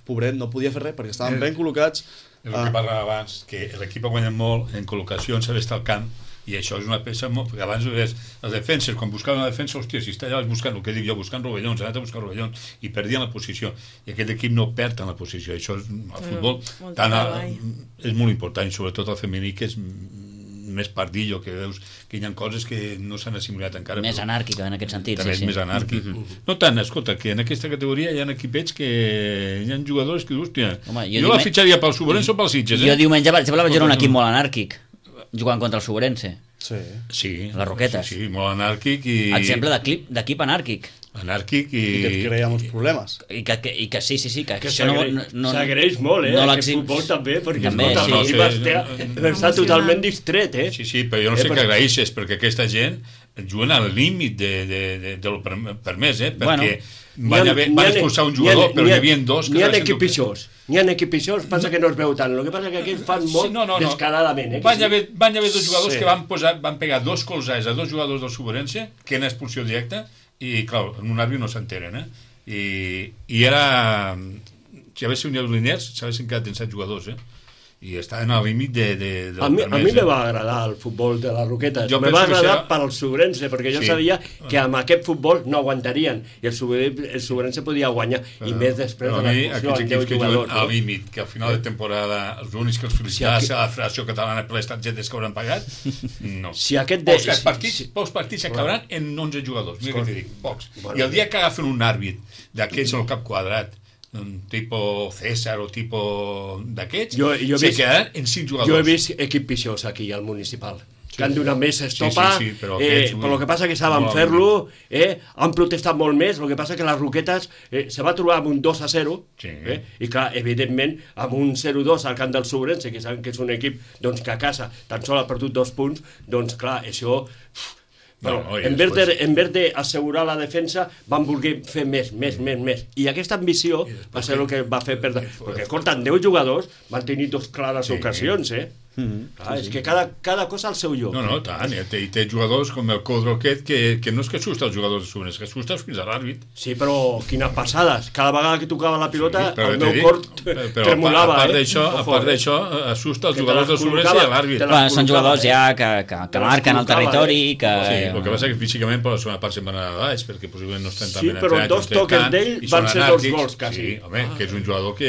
pobret, no podia fer res, perquè estaven ben col·locats. És el que parlàvem abans, que l'equip ha guanyat molt en col·locació, en saber estar al camp, i això és una peça molt... Perquè abans ves els defenses, quan buscaven la defensa, hòstia, si està allà buscant, el que dic jo, buscant rovellons, ha anat a buscar rovellons, i perdien la posició. I aquest equip no perd en la posició. Això és, al futbol, és molt important, i sobretot el femení, que és més pardillo, que veus que hi ha coses que no s'han assimilat encara. Més anàrquica, en aquest sentit. També és més anàrquic. No tant, escolta, que en aquesta categoria hi ha equipets que hi ha jugadors que, hòstia, jo la fitxaria pel Sobrense o pel Sitges, Jo diumenge, per exemple, vaig veure un equip molt anàrquic, jugant contra el Sobrense. Sí. Les Roquetes. Sí, molt anàrquic i... Exemple d'equip anàrquic. Anàrquic i... I que et crea molts problemes. I que sí, que això s'agreix molt, aquest futbol també, perquè està totalment distret, Sí, però jo no sé què agraeixes, perquè aquesta gent juguen al límit de lo permès, perquè van expulsar un jugador, però hi havia 2 que... N'hi ha equip pitjors, passa que no es veu tant. El que passa que aquells fan molt descaradament. Van haver 2 jugadors que van pegar 2 colzades a 2 jugadors del Sobrense, que en expulsió directa, i clar, en un àrbit no s'enteren, i era... Si haguessin unido Liniers, s'haguessin quedat en 7 jugadors, i estaven al límit del a mi permès. me va agradar el futbol de les Roquetes, me Jo va penso que agradar serà- pel Sobrense, perquè jo sabia que amb aquest futbol no aguantarien, i el Sobrense podia guanyar, i més després Però de a mi, l'expulsió aquests amb 10 equips que juguen jugadors. al límit, que al final de temporada els únics que els felicitarà serà la Federació Catalana per les targetes que hauran pagat, no. Si aquest Pocs partits acabaran en 11 jugadors, mira què t'hi dic, pocs. I el dia que agafen un àrbit d'aquests al cap quadrat, un tipo César o tipo d'aquests, se quedaran en 5 jugadors. Jo he vist equip pitjors aquí al municipal, que han donat més estopa, però el que passa que saben fer-lo, han protestat molt més, el que passa que les Roquetes se va trobar amb un 2-0, i clar, evidentment, amb un 0-2 al camp del Sobrense, que saben que és un equip que a casa tan sols ha perdut 2 punts, doncs clar, això... Però en vez d'assegurar la defensa van voler fer més. I aquesta ambició va ser el que va fer perdre, perquè escolta, 10 jugadors van tenir 2 clares ocasions, és que cada cosa al seu lloc. No, tant, i té jugadors com el Codro aquest, que no és que assusta els jugadors de Sobrense, que assusta fins a l'àrbit. Sí, però quines passades, cada vegada que tocava la pilota el meu cor tremolava. A part d'això, assusta els jugadors de Sobrense i a l'àrbit. Són jugadors ja que marquen el territori. El que passa que físicament per la segona part se'n van anar a baix, perquè possiblement no estan tan ben entrenats. Sí, però 2 toques d'ell van ser 2 gols, quasi. Sí, home, que és un jugador que...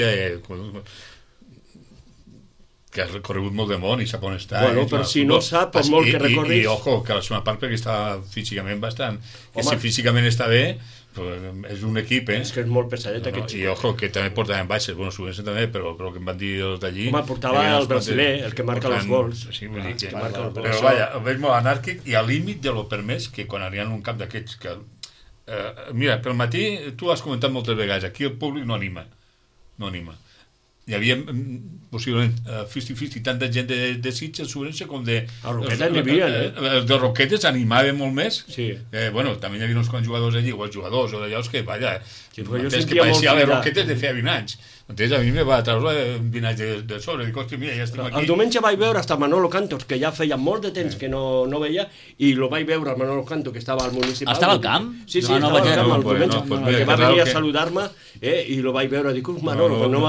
que ha recorregut molt de món i sap on està. Bueno, però si no sap, per molt que recorris... I ojo, que la segona part perquè està físicament bastant... Que si físicament està bé, és un equip, És que és molt pesadet aquest xico. I ojo, que també portaven baixes, bueno, Subrense també, però el que em van dir els d'allí... Home, portava el brasiler, el que marca els gols. Sí, vull dir que... Però vaja, ho veig molt anàrquic i al límit de lo permès que quan arriben un camp d'aquests que... Mira, pel matí, tu has comentat moltes vegades, aquí el públic no anima. Hi havia possiblement 50-50 tanta gent de Sitges, Subrense, com de... A Roquetes n'hi havia, Els de Roquetes animaven molt més. Sí. Bueno, també hi havia uns quants jugadors allí, o els jugadors, o d'allò que, vaja, sí, jo que pareixia les Roquetes de feia 20 anys. Entonces a mi me va treure 20 anys de sobre, dic, hòstia, mira, ja estem aquí. El diumenge vaig veure hasta Manolo Cantos, que ja feia molt de temps que no veia, i lo vaig veure al Manolo Canto, que estava al municipal. Estava al camp? Sí, estava al camp el diumenge, que va venir a saludar-me, i lo vaig veure, dic, Manolo, no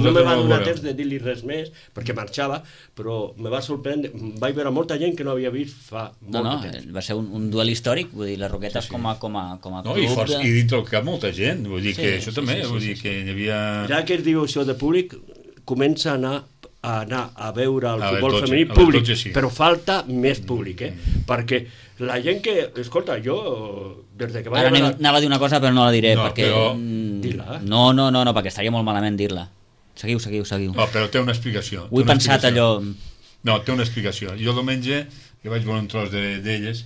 me va donar temps de dir-li res més, perquè marxava, però me va sorprendre, vaig veure molta gent que no havia vist fa molt de temps. Va ser un duel històric, vull dir, les Roquetes com a club... No, i dintre el cap molta gent, vull dir que això també, vull dir que hi havia... Ja que es diu això de públic, comença a anar a veure el futbol femení públic, però falta més públic, perquè la gent que... Escolta, jo, des de que vaig... Ara anava a dir una cosa, però no la diré, perquè... Dila. No, perquè estaria molt malament dir-la. Seguiu. No, però té una explicació. Ho he pensat allò... No, té una explicació. Jo diumenge, que vaig veure un tros d'elles,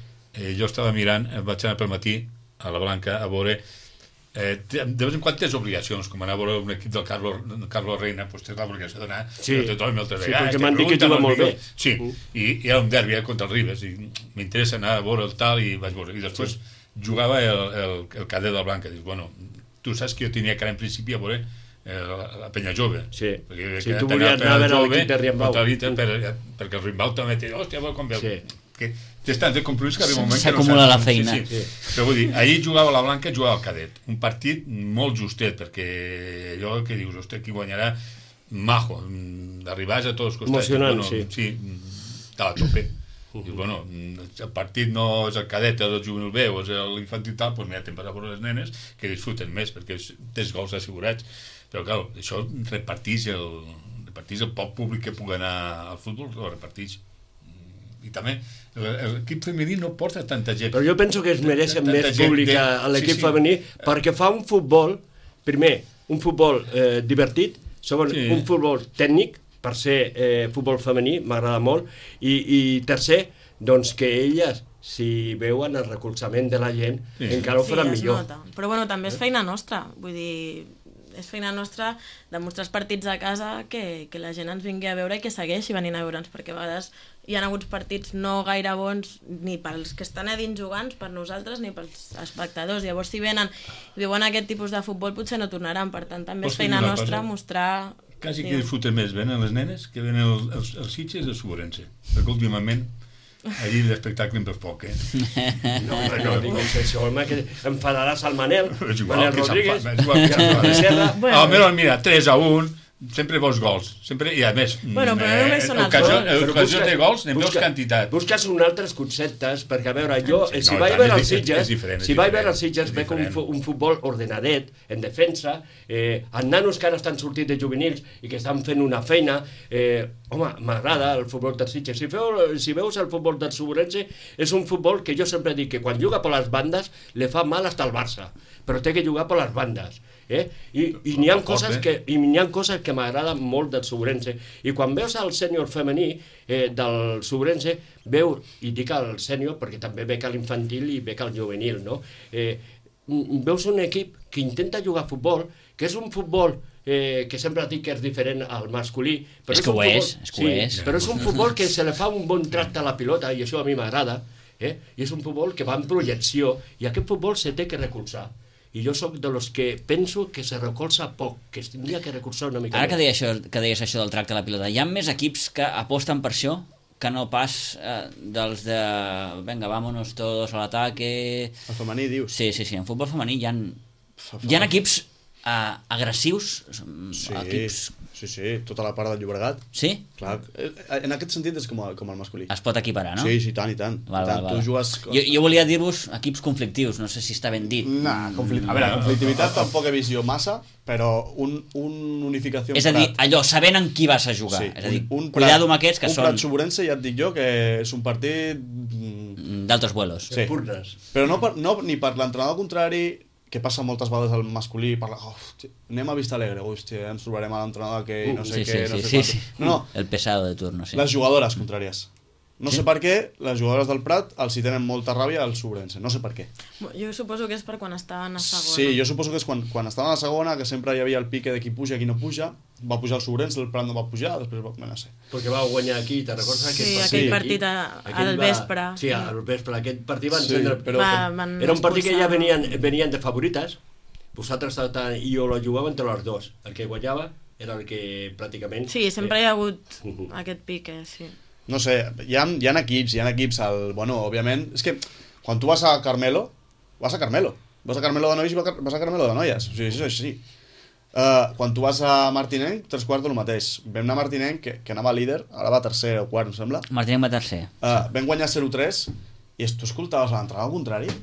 jo estava mirant, vaig anar pel matí a la Blanca a veure... de vez en quan tens obligacions, com anar a veure un equip del Carlos Reina, doncs tens l'obligació d'anar, tothom altres vegades, perquè m'han dit que juga molt bé. Sí, i era un derbi contra el Ribes, i m'interessa anar a veure el tal, i vaig veure, i després jugava el cadet del Blanca, dius, bueno, tu saps que jo tenia que anar en principi a veure la penya jove, si tu volies anar a veure l'equip de Riambau, perquè el Riambau també té, hòstia, com veu, que tens tants de compromís que arriba un moment que s'acumula la feina. Però vull dir, ahir jugava la Blanca i jugava el cadet, un partit molt justet, perquè allò que dius, hòstia, qui guanyarà majo, d'arribar a tots els costats. Emocionant, sí, estava a tope. Dius, bueno, el partit no és el cadet, és el juvenil B o és l'infantil tal, doncs mira, te'n vas a veure les nenes que disfruten més, perquè tens gols assegurats. Però, clar, això reparteix el poc públic que pugui anar al futbol, ho reparteix. I també l'equip femení no porta tanta gent. Però jo penso que es mereixen més públic a l'equip femení perquè fa un futbol, primer, un futbol divertit, segon, un futbol tècnic, per ser futbol femení, m'agrada molt, i tercer, doncs que elles, si veuen el recolzament de la gent, encara ho faran millor. Nota. Però bueno, també és feina nostra, vull dir... És feina nostra demostrar els partits a casa que la gent ens vingui a veure i que segueixi venint a veure'ns, perquè a vegades hi ha hagut partits no gaire bons ni pels que estan a dins jugant, per nosaltres, ni pels espectadors. Llavors, si venen i veuen aquest tipus de futbol, potser no tornaran. Per tant, també és feina nostra mostrar... Quasi que disfruten més venen les nenes que venen els Sitges i els Subrense, perquè últimament allí l'espectacle en per poc, No, digues això, home, que enfadaràs al Manel Rodríguez, mira, 3-1, sempre vols gols, sempre, i a més, però no només són els gols. Ocasions de gols, n'hi veus quantitat. Busques un altres conceptes, perquè a veure, jo, si vaig veure els Sitges, veig un futbol ordenadet, en defensa, els nanos que ara estan sortint de juvenils i que estan fent una feina, home, m'agrada el futbol dels Sitges. Si veus el futbol del Subrense, és un futbol que jo sempre dic que quan juga per les bandes li fa mal hasta el Barça, però té que jugar per les bandes. I n'hi ha coses que m'agraden molt del Subrense, i quan veus el sènior femení del Subrense, i dic el sènior perquè també bec a l'infantil i bec al juvenil, no? Veus un equip que intenta jugar a futbol, que és un futbol que sempre dic que és diferent al masculí, però però és un futbol que se li fa un bon tracte a la pilota, i això a mi m'agrada, i és un futbol que va en projecció, i aquest futbol se té que recolzar. I jo sóc de los que penso que se recolza poc, que es tindria que recolzar una mica més. Ara que deies això del tracte a la pilota, hi ha més equips que aposten per això que no pas dels de venga, vámonos todos al ataque... El femení, dius? Sí, en futbol femení hi ha equips agressius, Sí, equips... sí, tota la part del Llobregat. Sí? Clar, en aquest sentit és com el masculí. Es pot equiparar, no? Sí, i tant. Val. Tu jugues... Jo volia dir-vos equips conflictius, no sé si està ben dit. A veure, conflictivitat tampoc he vist jo massa, però un unificació... És a dir, allò, sabent en qui vas a jugar. Sí, És a dir, cuidado amb aquests que un són... Prat Soborense ja et dic jo que és un partit... d'altres vuelos. Sí. Purnes. Però no ni per l'entrenador contrari, que passa moltes vegades al masculí, parla, anem a Vista Alegre, hòstia, ens trobarem a l'entrenador que no sé què, no sé quant. No, el pesado de turno, sí. les jugadores contràries. No sé per què, les jugadores del Prat els hi tenen molta ràbia al Sobrense, no sé per què. Jo suposo que és per quan estaven a segona. Sí, jo suposo que és quan estaven a segona, que sempre hi havia el pique de qui puja i qui no puja, va pujar el Sobrense, el Prat no va pujar, després va... no sé. Perquè va guanyar aquí, te'n recordes aquell partit al vespre. Sí, al vespre, aquest partit van Sí, encendre... però... Era un partit que ja venien de favorites, vosaltres i jo la jugava entre les dos. El que guanyava era el que pràcticament... Sí, sempre hi ha hagut aquest pique, sí. No sé, hi ha equips, bueno, òbviament, és que quan tu vas a Carmelo, vas a Carmelo de nois i vas a Carmelo de noies, o sigui, això és així. Quan tu vas a Martinenc, 3/4 el mateix. Vam anar a Martinenc, que anava líder, ara va tercer o quart, em sembla. Martinenc va tercer. Vam guanyar 0-3 i tu escoltaves l'entrenador al contrari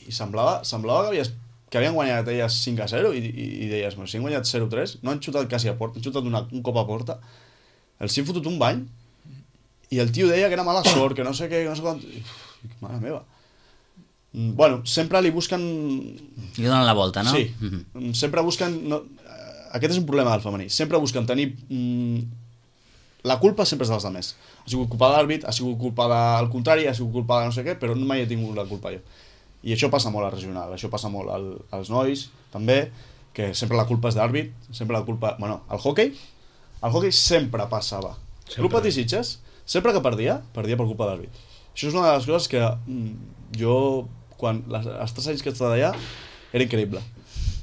i semblava que havien guanyat elles 5-0 i deies, si han guanyat 0-3, no han xutat quasi a porta, han xutat un cop a porta, els hi han fotut un bany i el tio deia que era mala sort, que no sé què, que no sé quant... Mare meva. Bueno, sempre li busquen... Li donen la volta, no? Sí, sempre busquen... Aquest és un problema del femení. Sempre busquen tenir... La culpa sempre és dels altres. Ha sigut culpa de l'àrbit, ha sigut culpa del contrari, ha sigut culpa de no sé què, però mai he tingut la culpa jo. I això passa molt al regional, això passa molt als nois, també, que sempre la culpa és d'àrbit, sempre la culpa... Bueno, al hoquei sempre passava. Club Patí Sitges, sempre que perdia per culpa d'àrbit. Això és una de les coses que jo, quan els 3 anys que he estat allà, era increïble.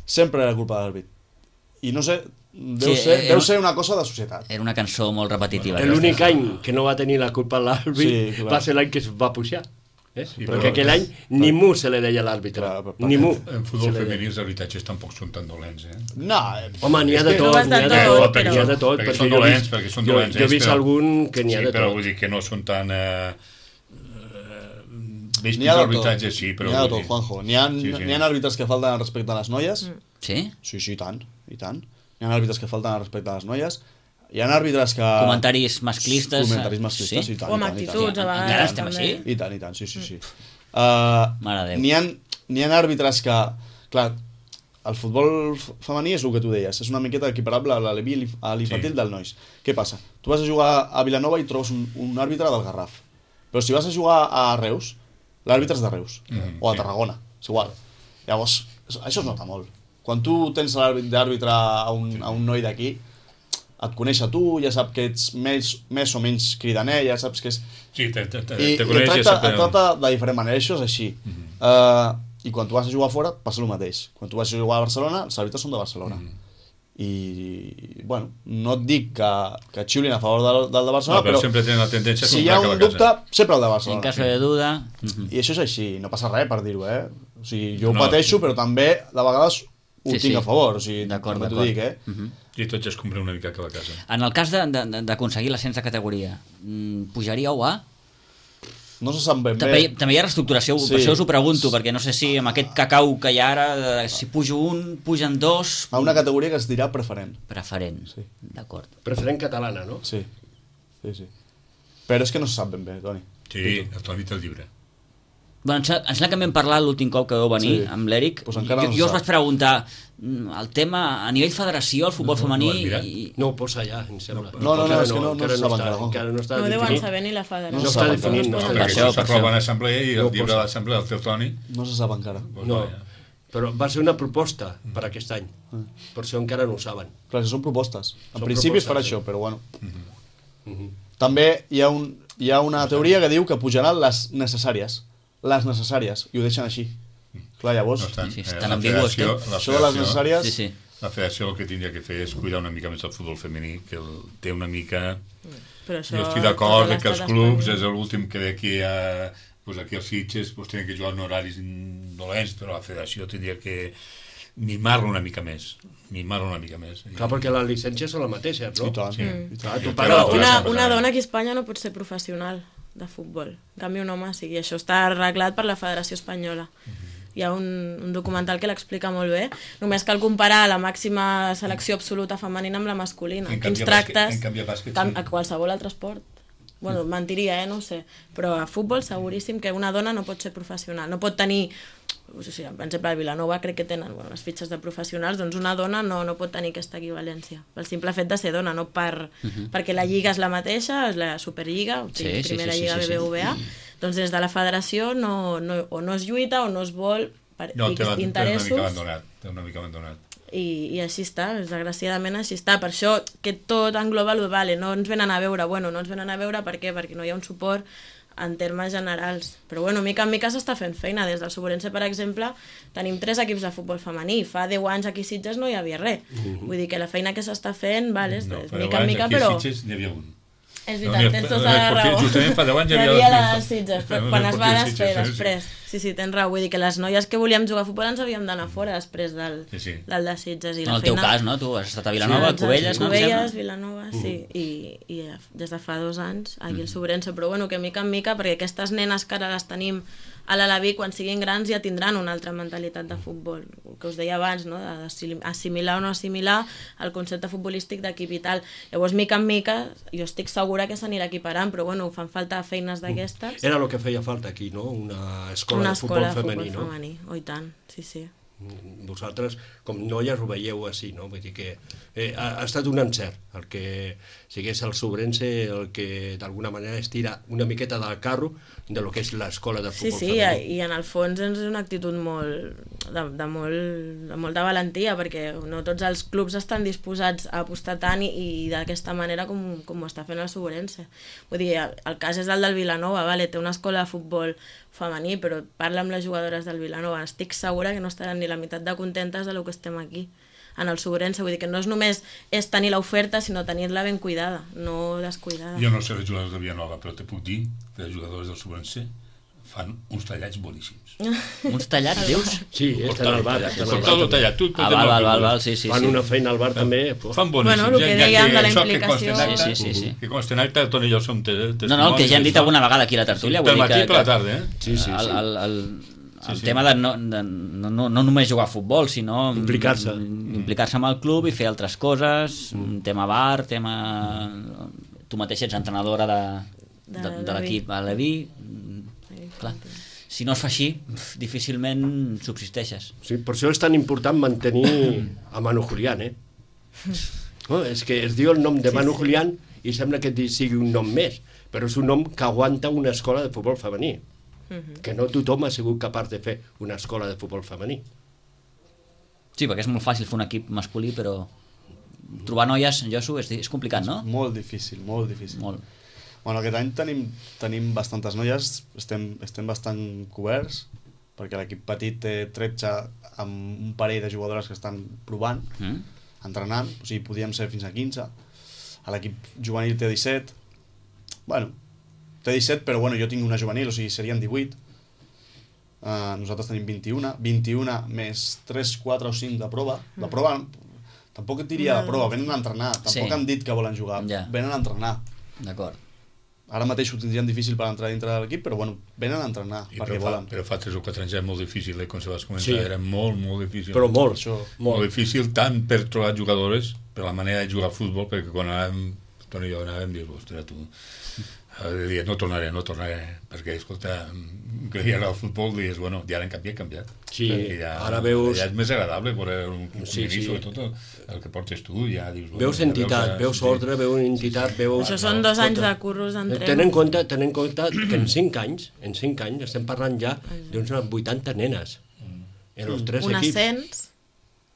Sempre era culpa d'àrbit. I no sé, deu ser una cosa de societat. Era una cançó molt repetitiva. L'únic any que no va tenir la culpa l'àrbit va ser l'any que es va pujar. Sí, perquè aquell any ni mu se li deia a l'àrbitre, ni mu. En futbol femení els arbitratges tampoc són tan dolents, No, home, n'hi ha de tot, n'hi ha de tot, perquè són dolents, jo he vist algun que n'hi ha de tot. Sí, però vull dir que no són tan... Veig que els arbitratges sí, però... N'hi ha de tot, Juanjo. N'hi ha àrbitres que falten respecte a les noies. Sí? Sí, i tant. N'hi ha àrbitres que falten respecte a les noies. Hi ha àrbitres que... Comentaris masclistes, sí? Sí? I tant. O amb actituds, a vegades. Encara estem així? I tant, sí. Mare de Déu. N'hi ha àrbitres que... Clar, el futbol femení és el que tu deies, és una miqueta equiparable a l'infantil del nois. Què passa? Tu vas a jugar a Vilanova i trobes un àrbitre del Garraf. Però si vas a jugar a Reus, l'àrbitre és de Reus. O a Tarragona, és igual. Llavors, això es nota molt. Quan tu tens d'àrbitre a un noi d'aquí, et coneix a tu, ja sap que ets més o menys cridaner, ja saps que és... Sí, te coneix, ja sap... Et tracta de diferent manera, això és així. I quan tu vas a jugar fora, passa el mateix. Quan tu vas a jugar a Barcelona, els àrbitres són de Barcelona. I, bueno, no et dic que xiulin a favor del de Barcelona, però sempre tenen la tendència si hi ha un dubte, sempre el de Barcelona. En cas de duda... I això és així, no passa res per dir-ho, O sigui, jo ho pateixo, però també de vegades ho tinc a favor, o sigui, d'acord. T'ho dic, I tots es compren una mica cada casa. En el cas d'aconseguir l'ascens de categoria, pujaríeu a? No se sap ben bé. També hi ha reestructuració, per això us ho pregunto, perquè no sé si amb aquest cacau que hi ha ara, si pujo un, pugen dos... A una categoria que es dirà preferent. Preferent, sí. D'acord. Preferent catalana, no? Sí. Però és que no se sap ben bé, Toni. Sí, el Toni té el llibre. Bueno, em sembla que vam parlar l'últim cop que vau venir amb l'Eric. Pues jo us vaig preguntar el tema a nivell federació, el futbol femení... No ho posa allà, em sembla. No, és que no se sap encara. No està definit. No deuen saber ni la federació. No està definit. Perquè això s'aprova en assemblea i el llibre de l'assemblea el té el Toni. No se sap encara. No, però va ser una proposta per aquest any. Per això encara no ho saben. Clar, són propostes. En principi es farà això, però bueno. També hi ha una teoria que diu que pujaran les necessàries, i ho deixen així. Clar, llavors... Estan ambigües. Això de les necessàries... Sí. La federació el que tindria que fer és cuidar una mica més el futbol femení, que té una mica... Jo estic d'acord que els clubs és l'últim que ve aquí aquí als Sitges tenen que jugar en horaris dolents, però la federació tindria que mimar-lo una mica més. Clar, perquè les llicències són les mateixes, no? I tant. Clar, tu Però pagues una dona aquí a Espanya no pot ser professional de futbol. En canvi, un home sí. I això està arreglat per la Federació Espanyola. Hi ha un documental que l'explica molt bé. Només cal comparar la màxima selecció absoluta femenina amb la masculina. Quins tractes a qualsevol altre esport. Bueno, mentiria, no ho sé. Però a futbol seguríssim que una dona no pot ser professional. No pot tenir... O sigui, per exemple, a Vilanova crec que tenen les fitxes de professionals, doncs una dona no pot tenir aquesta equivalència. Pel simple fet de ser dona, no perquè la lliga és la mateixa, és la Superliga, o sigui, primera lliga BBVA, doncs des de la federació o no es lluita o no es vol per interessos. Té una mica abandonat. I així està, desgraciadament així està. Per això que tot engloba el vale, no ens venen a veure, per què? Perquè no hi ha un suport en termes generals. Però bueno, mica en mica s'està fent feina. Des del Suburense, per exemple, tenim 3 equips de futbol femení. Fa 10 anys aquí a Sitges no hi havia res. Vull dir que la feina que s'està fent, és mica en mica, però... Aquí a Sitges n'hi havia un. És veritat, tens tota la raó. Justament fa 10 anys hi havia la Sitges, però quan es va després. Sí, tens raó. Vull dir que les noies que volíem jugar a futbol ens havíem d'anar fora després del de Sitges. En el teu cas, no? Tu has estat a Vilanova, Cubelles, no? Cubelles, Vilanova, sí. I des de fa 2 anys aquí al Suburense. Però bueno, que mica en mica, perquè aquestes nenes que ara les tenim a l'Alaví, quan siguin grans ja tindran una altra mentalitat de futbol, el que us deia abans, no? D'assimilar o no assimilar el concepte futbolístic d'equip i tal. Llavors, mica en mica, jo estic segura que s'anirà equiparant, però bueno, fan falta feines d'aquestes. Era el que feia falta aquí, no? Una escola de futbol femení, no? Oh, i tant, sí. Vosaltres, com noies, ho veieu així, no? Vull dir que ha estat un encert el que sigués el Suburense, el que d'alguna manera estira una miqueta del carro de lo que és l'escola de futbol femení. Sí, i en el fons és una actitud de molta valentia, perquè no tots els clubs estan disposats a apostar tant i d'aquesta manera com ho està fent el Suburense. Vull dir, el cas és el del Vilanova, té una escola de futbol femení, però parla amb les jugadores del Vilanova, estic segura que no estaran ni la meitat de contentes del que estem aquí en el Suburense. Vull dir que no és només tenir l'oferta, sinó tenir-la ben cuidada, no descuidada. Jo no sé els jugadors de Vilanova, però te puc dir que els jugadors del Suburense fan uns tallats boníssims. Uns tallats, dius? Sí, estan al bar. Tot tallat. Val, sí. Fan una feina al bar també. Fan boníssims. Bueno, el que dèiem de la implicació. Sí. Que consta en acte, Toni i jo som testimonis. No, el que ja hem dit alguna vegada aquí a la tertúlia. Pel matí i per la tarda, eh? Sí. El tema de no només jugar a futbol, sinó implicar-se amb el club i fer altres coses, tema bar, tu mateix ets entrenadora de l'equip a Leví. Clar, si no es fa així, difícilment subsisteixes. Sí, per això és tan important mantenir a Manu Julián, No, és que es diu el nom de Manu Julián i sembla que sigui un nom més, però és un nom que aguanta una escola de futbol femení. Que no tothom ha sigut capaç de fer una escola de futbol femení. Sí, perquè és molt fàcil fer un equip masculí, però trobar noies, Josu, és complicat, no? Molt difícil. Molt. Bueno, aquest any tenim bastantes noies, estem bastant coberts, perquè l'equip petit té 13 amb un parell de jugadores que estan provant, entrenant, o sigui, podíem ser fins a 15. A l'equip juvenil té 17. Bueno, té 17, però bueno, jo tinc una juvenil, o sigui, serien 18. Nosaltres tenim 21 més 3, 4 o 5 de prova. La prova, tampoc et diria de prova, venen a entrenar, tampoc han dit que volen jugar, venen a entrenar. D'acord. Ara mateix ho tindrien difícil per entrar dintre de l'equip, però bueno, venen a entrenar perquè volen. Però fa 3 o 4 anys era molt difícil, quan se vas començar, era molt difícil. Però molt. Molt difícil, tant per trobar jugadores, per la manera de jugar a futbol, perquè quan anàvem, Toni i jo anàvem, dius, ostres, tu... no tornaré, perquè, escolta, que ja era el futbol, dius, bueno, ja l'han canviat. Sí, ara veus... Ja és més agradable veure un femení, sobretot el que portes tu, ja dius... Veus entitat, veus ordre, veus entitat, veus... Això són 2 anys de curros d'entrena. Ten en compte que en 5 anys estem parlant ja d'uns 80 nenes. En els 3 equips. Un ascens.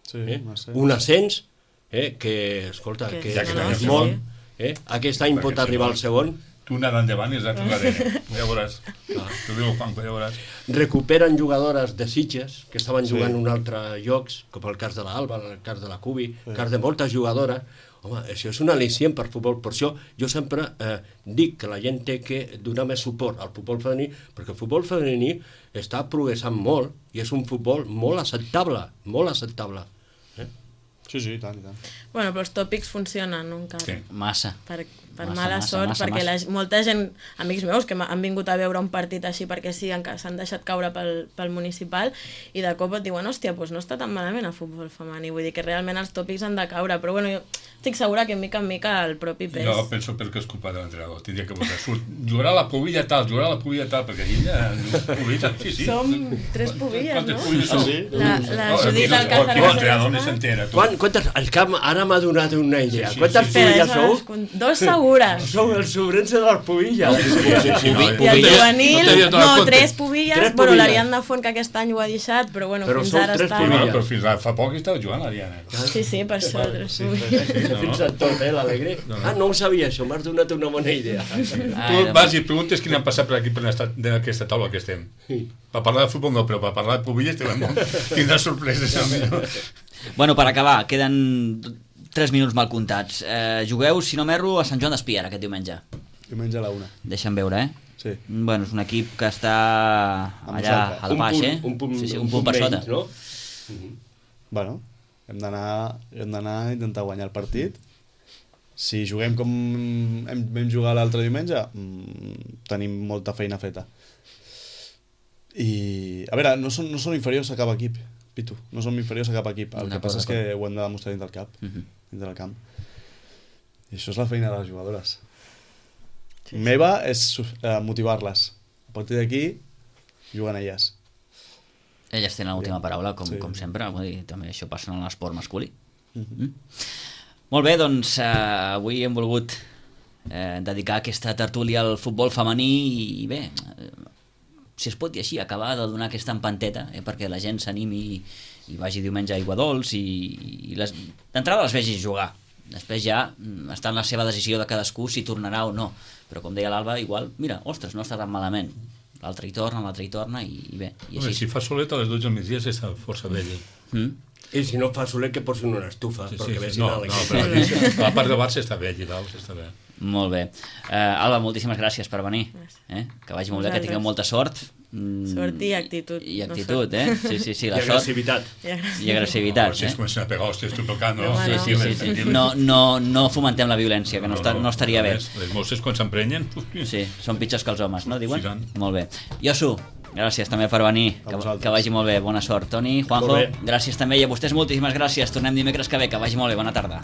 Sí, un ascens, que, escolta, que és molt... Aquest any pot arribar al segon. Tu anar endavant i és l'altre, ja veuràs. Tu diu Juanjo, ja veuràs. Recuperen jugadores de Sitges que estaven jugant en un altre llocs, com el cas de l'Alba, el cas de la Cubi, el cas de moltes jugadores, Home, això és un al·licient per futbol. Per això jo sempre dic que la gent té que donar més suport al futbol femení, perquè el futbol femení està progressant molt i és un futbol molt acceptable, molt acceptable. Sí, i tant, i tant. Bueno, però els tòpics funcionen, no, encara. Sí. Massa. Per Massa, mala massa, sort, massa, perquè massa. molta gent, amics meus, que han vingut a veure un partit així perquè sí, s'han deixat caure pel municipal, i de cop et diuen, hòstia, doncs no està tan malament el futbol femení. Vull dir que realment els tòpics han de caure, però bueno, jo estic segura que mica en mica el propi pes... Jo penso perquè és culpa de l'entrenador. Tindria que posar, jugarà la pubilla tal, perquè aquí ja... Sí. Som 3 pubilles, no? Pubilles són? Sí. La Judit Alcázar... Aquí l'entrenador ni s'entera. Quantes... Ara m'ha donat una idea. Sí, Quantes sí. pubilles sou? 2 segures. Sou el sobrense de les pubilles. Sí, no, I el juvenil, no, 3 pubilles, Tres bueno, pubilles. l'Ariadna Font, que aquest any ho ha deixat, però bueno, Però fins són ara 3 està... pubilles. Però fins fa poc estava jugant l'Ariana. Sí, per això, 3 pubilles. Fins a tot, l'Alegre. No ho sabia, això, m'has donat una bona idea. Tu vas i preguntes quin han passat per aquí per aquesta taula que estem. Per parlar de futbol no, però per parlar de pubilles tindràs sorpreses. Bueno, per acabar, queden 3 minuts mal comptats. Jugueu, si no m'erro, a Sant Joan d'Espí ara aquest diumenge. Diumenge a la 1. Deixa'm veure, Sí. Bueno, és un equip que està allà nosaltres. a la baix, Un punt per sota. menys, no? Bueno, hem d'anar a intentar guanyar el partit. Si juguem com vam jugar l'altre diumenge, tenim molta feina feta. I, a veure, no són inferiors a cap equip, Pitu. No som inferiors a cap equip. El que passa és que ho hem de demostrar dins del cap, dins del camp. I això és la feina de les jugadores. Meva és motivar-les. A partir d'aquí, juguen elles. Elles tenen l'última paraula, com Sí. sempre. Vull dir, també això passa en l'esport masculí. Molt bé, doncs avui hem volgut dedicar aquesta tertúlia al futbol femení i bé, si es pot dir així, acabar de donar aquesta empanteta perquè la gent s'animi i vagi diumenge a Aiguadols i d'entrada les vegi jugar. Després ja està en la seva decisió de cadascú si tornarà o no. Però com deia l'Alba, igual, mira, ostres, no està tan malament. L'altre hi torna i bé. I Home, així. si fa solet a les 12 del migdia està força bé. I si no fa solet, que posin una estufa, perquè vegin No, però a la part de Barça està bé, allà dalt està bé. Molt bé. Alba, moltíssimes gràcies per venir. Que vagi molt bé, que tingueu molta sort. Sort i actitud. I actitud, Sí, I la sort. agressivitat. I agressivitat, Si es comencen a pegar hòsties, tu tocant, no? Sí. No fomentem la violència, que no estaria bé. Les mosses quan s'emprenyen... Sí, són pitjors que els homes, no, diuen? Sí, tant. Molt bé. Josu, gràcies també per venir, que vagi molt bé, bona sort. Toni, Juanjo, gràcies també, i a vostès moltíssimes gràcies. Tornem dimecres que ve, que vagi molt bé, bona tarda.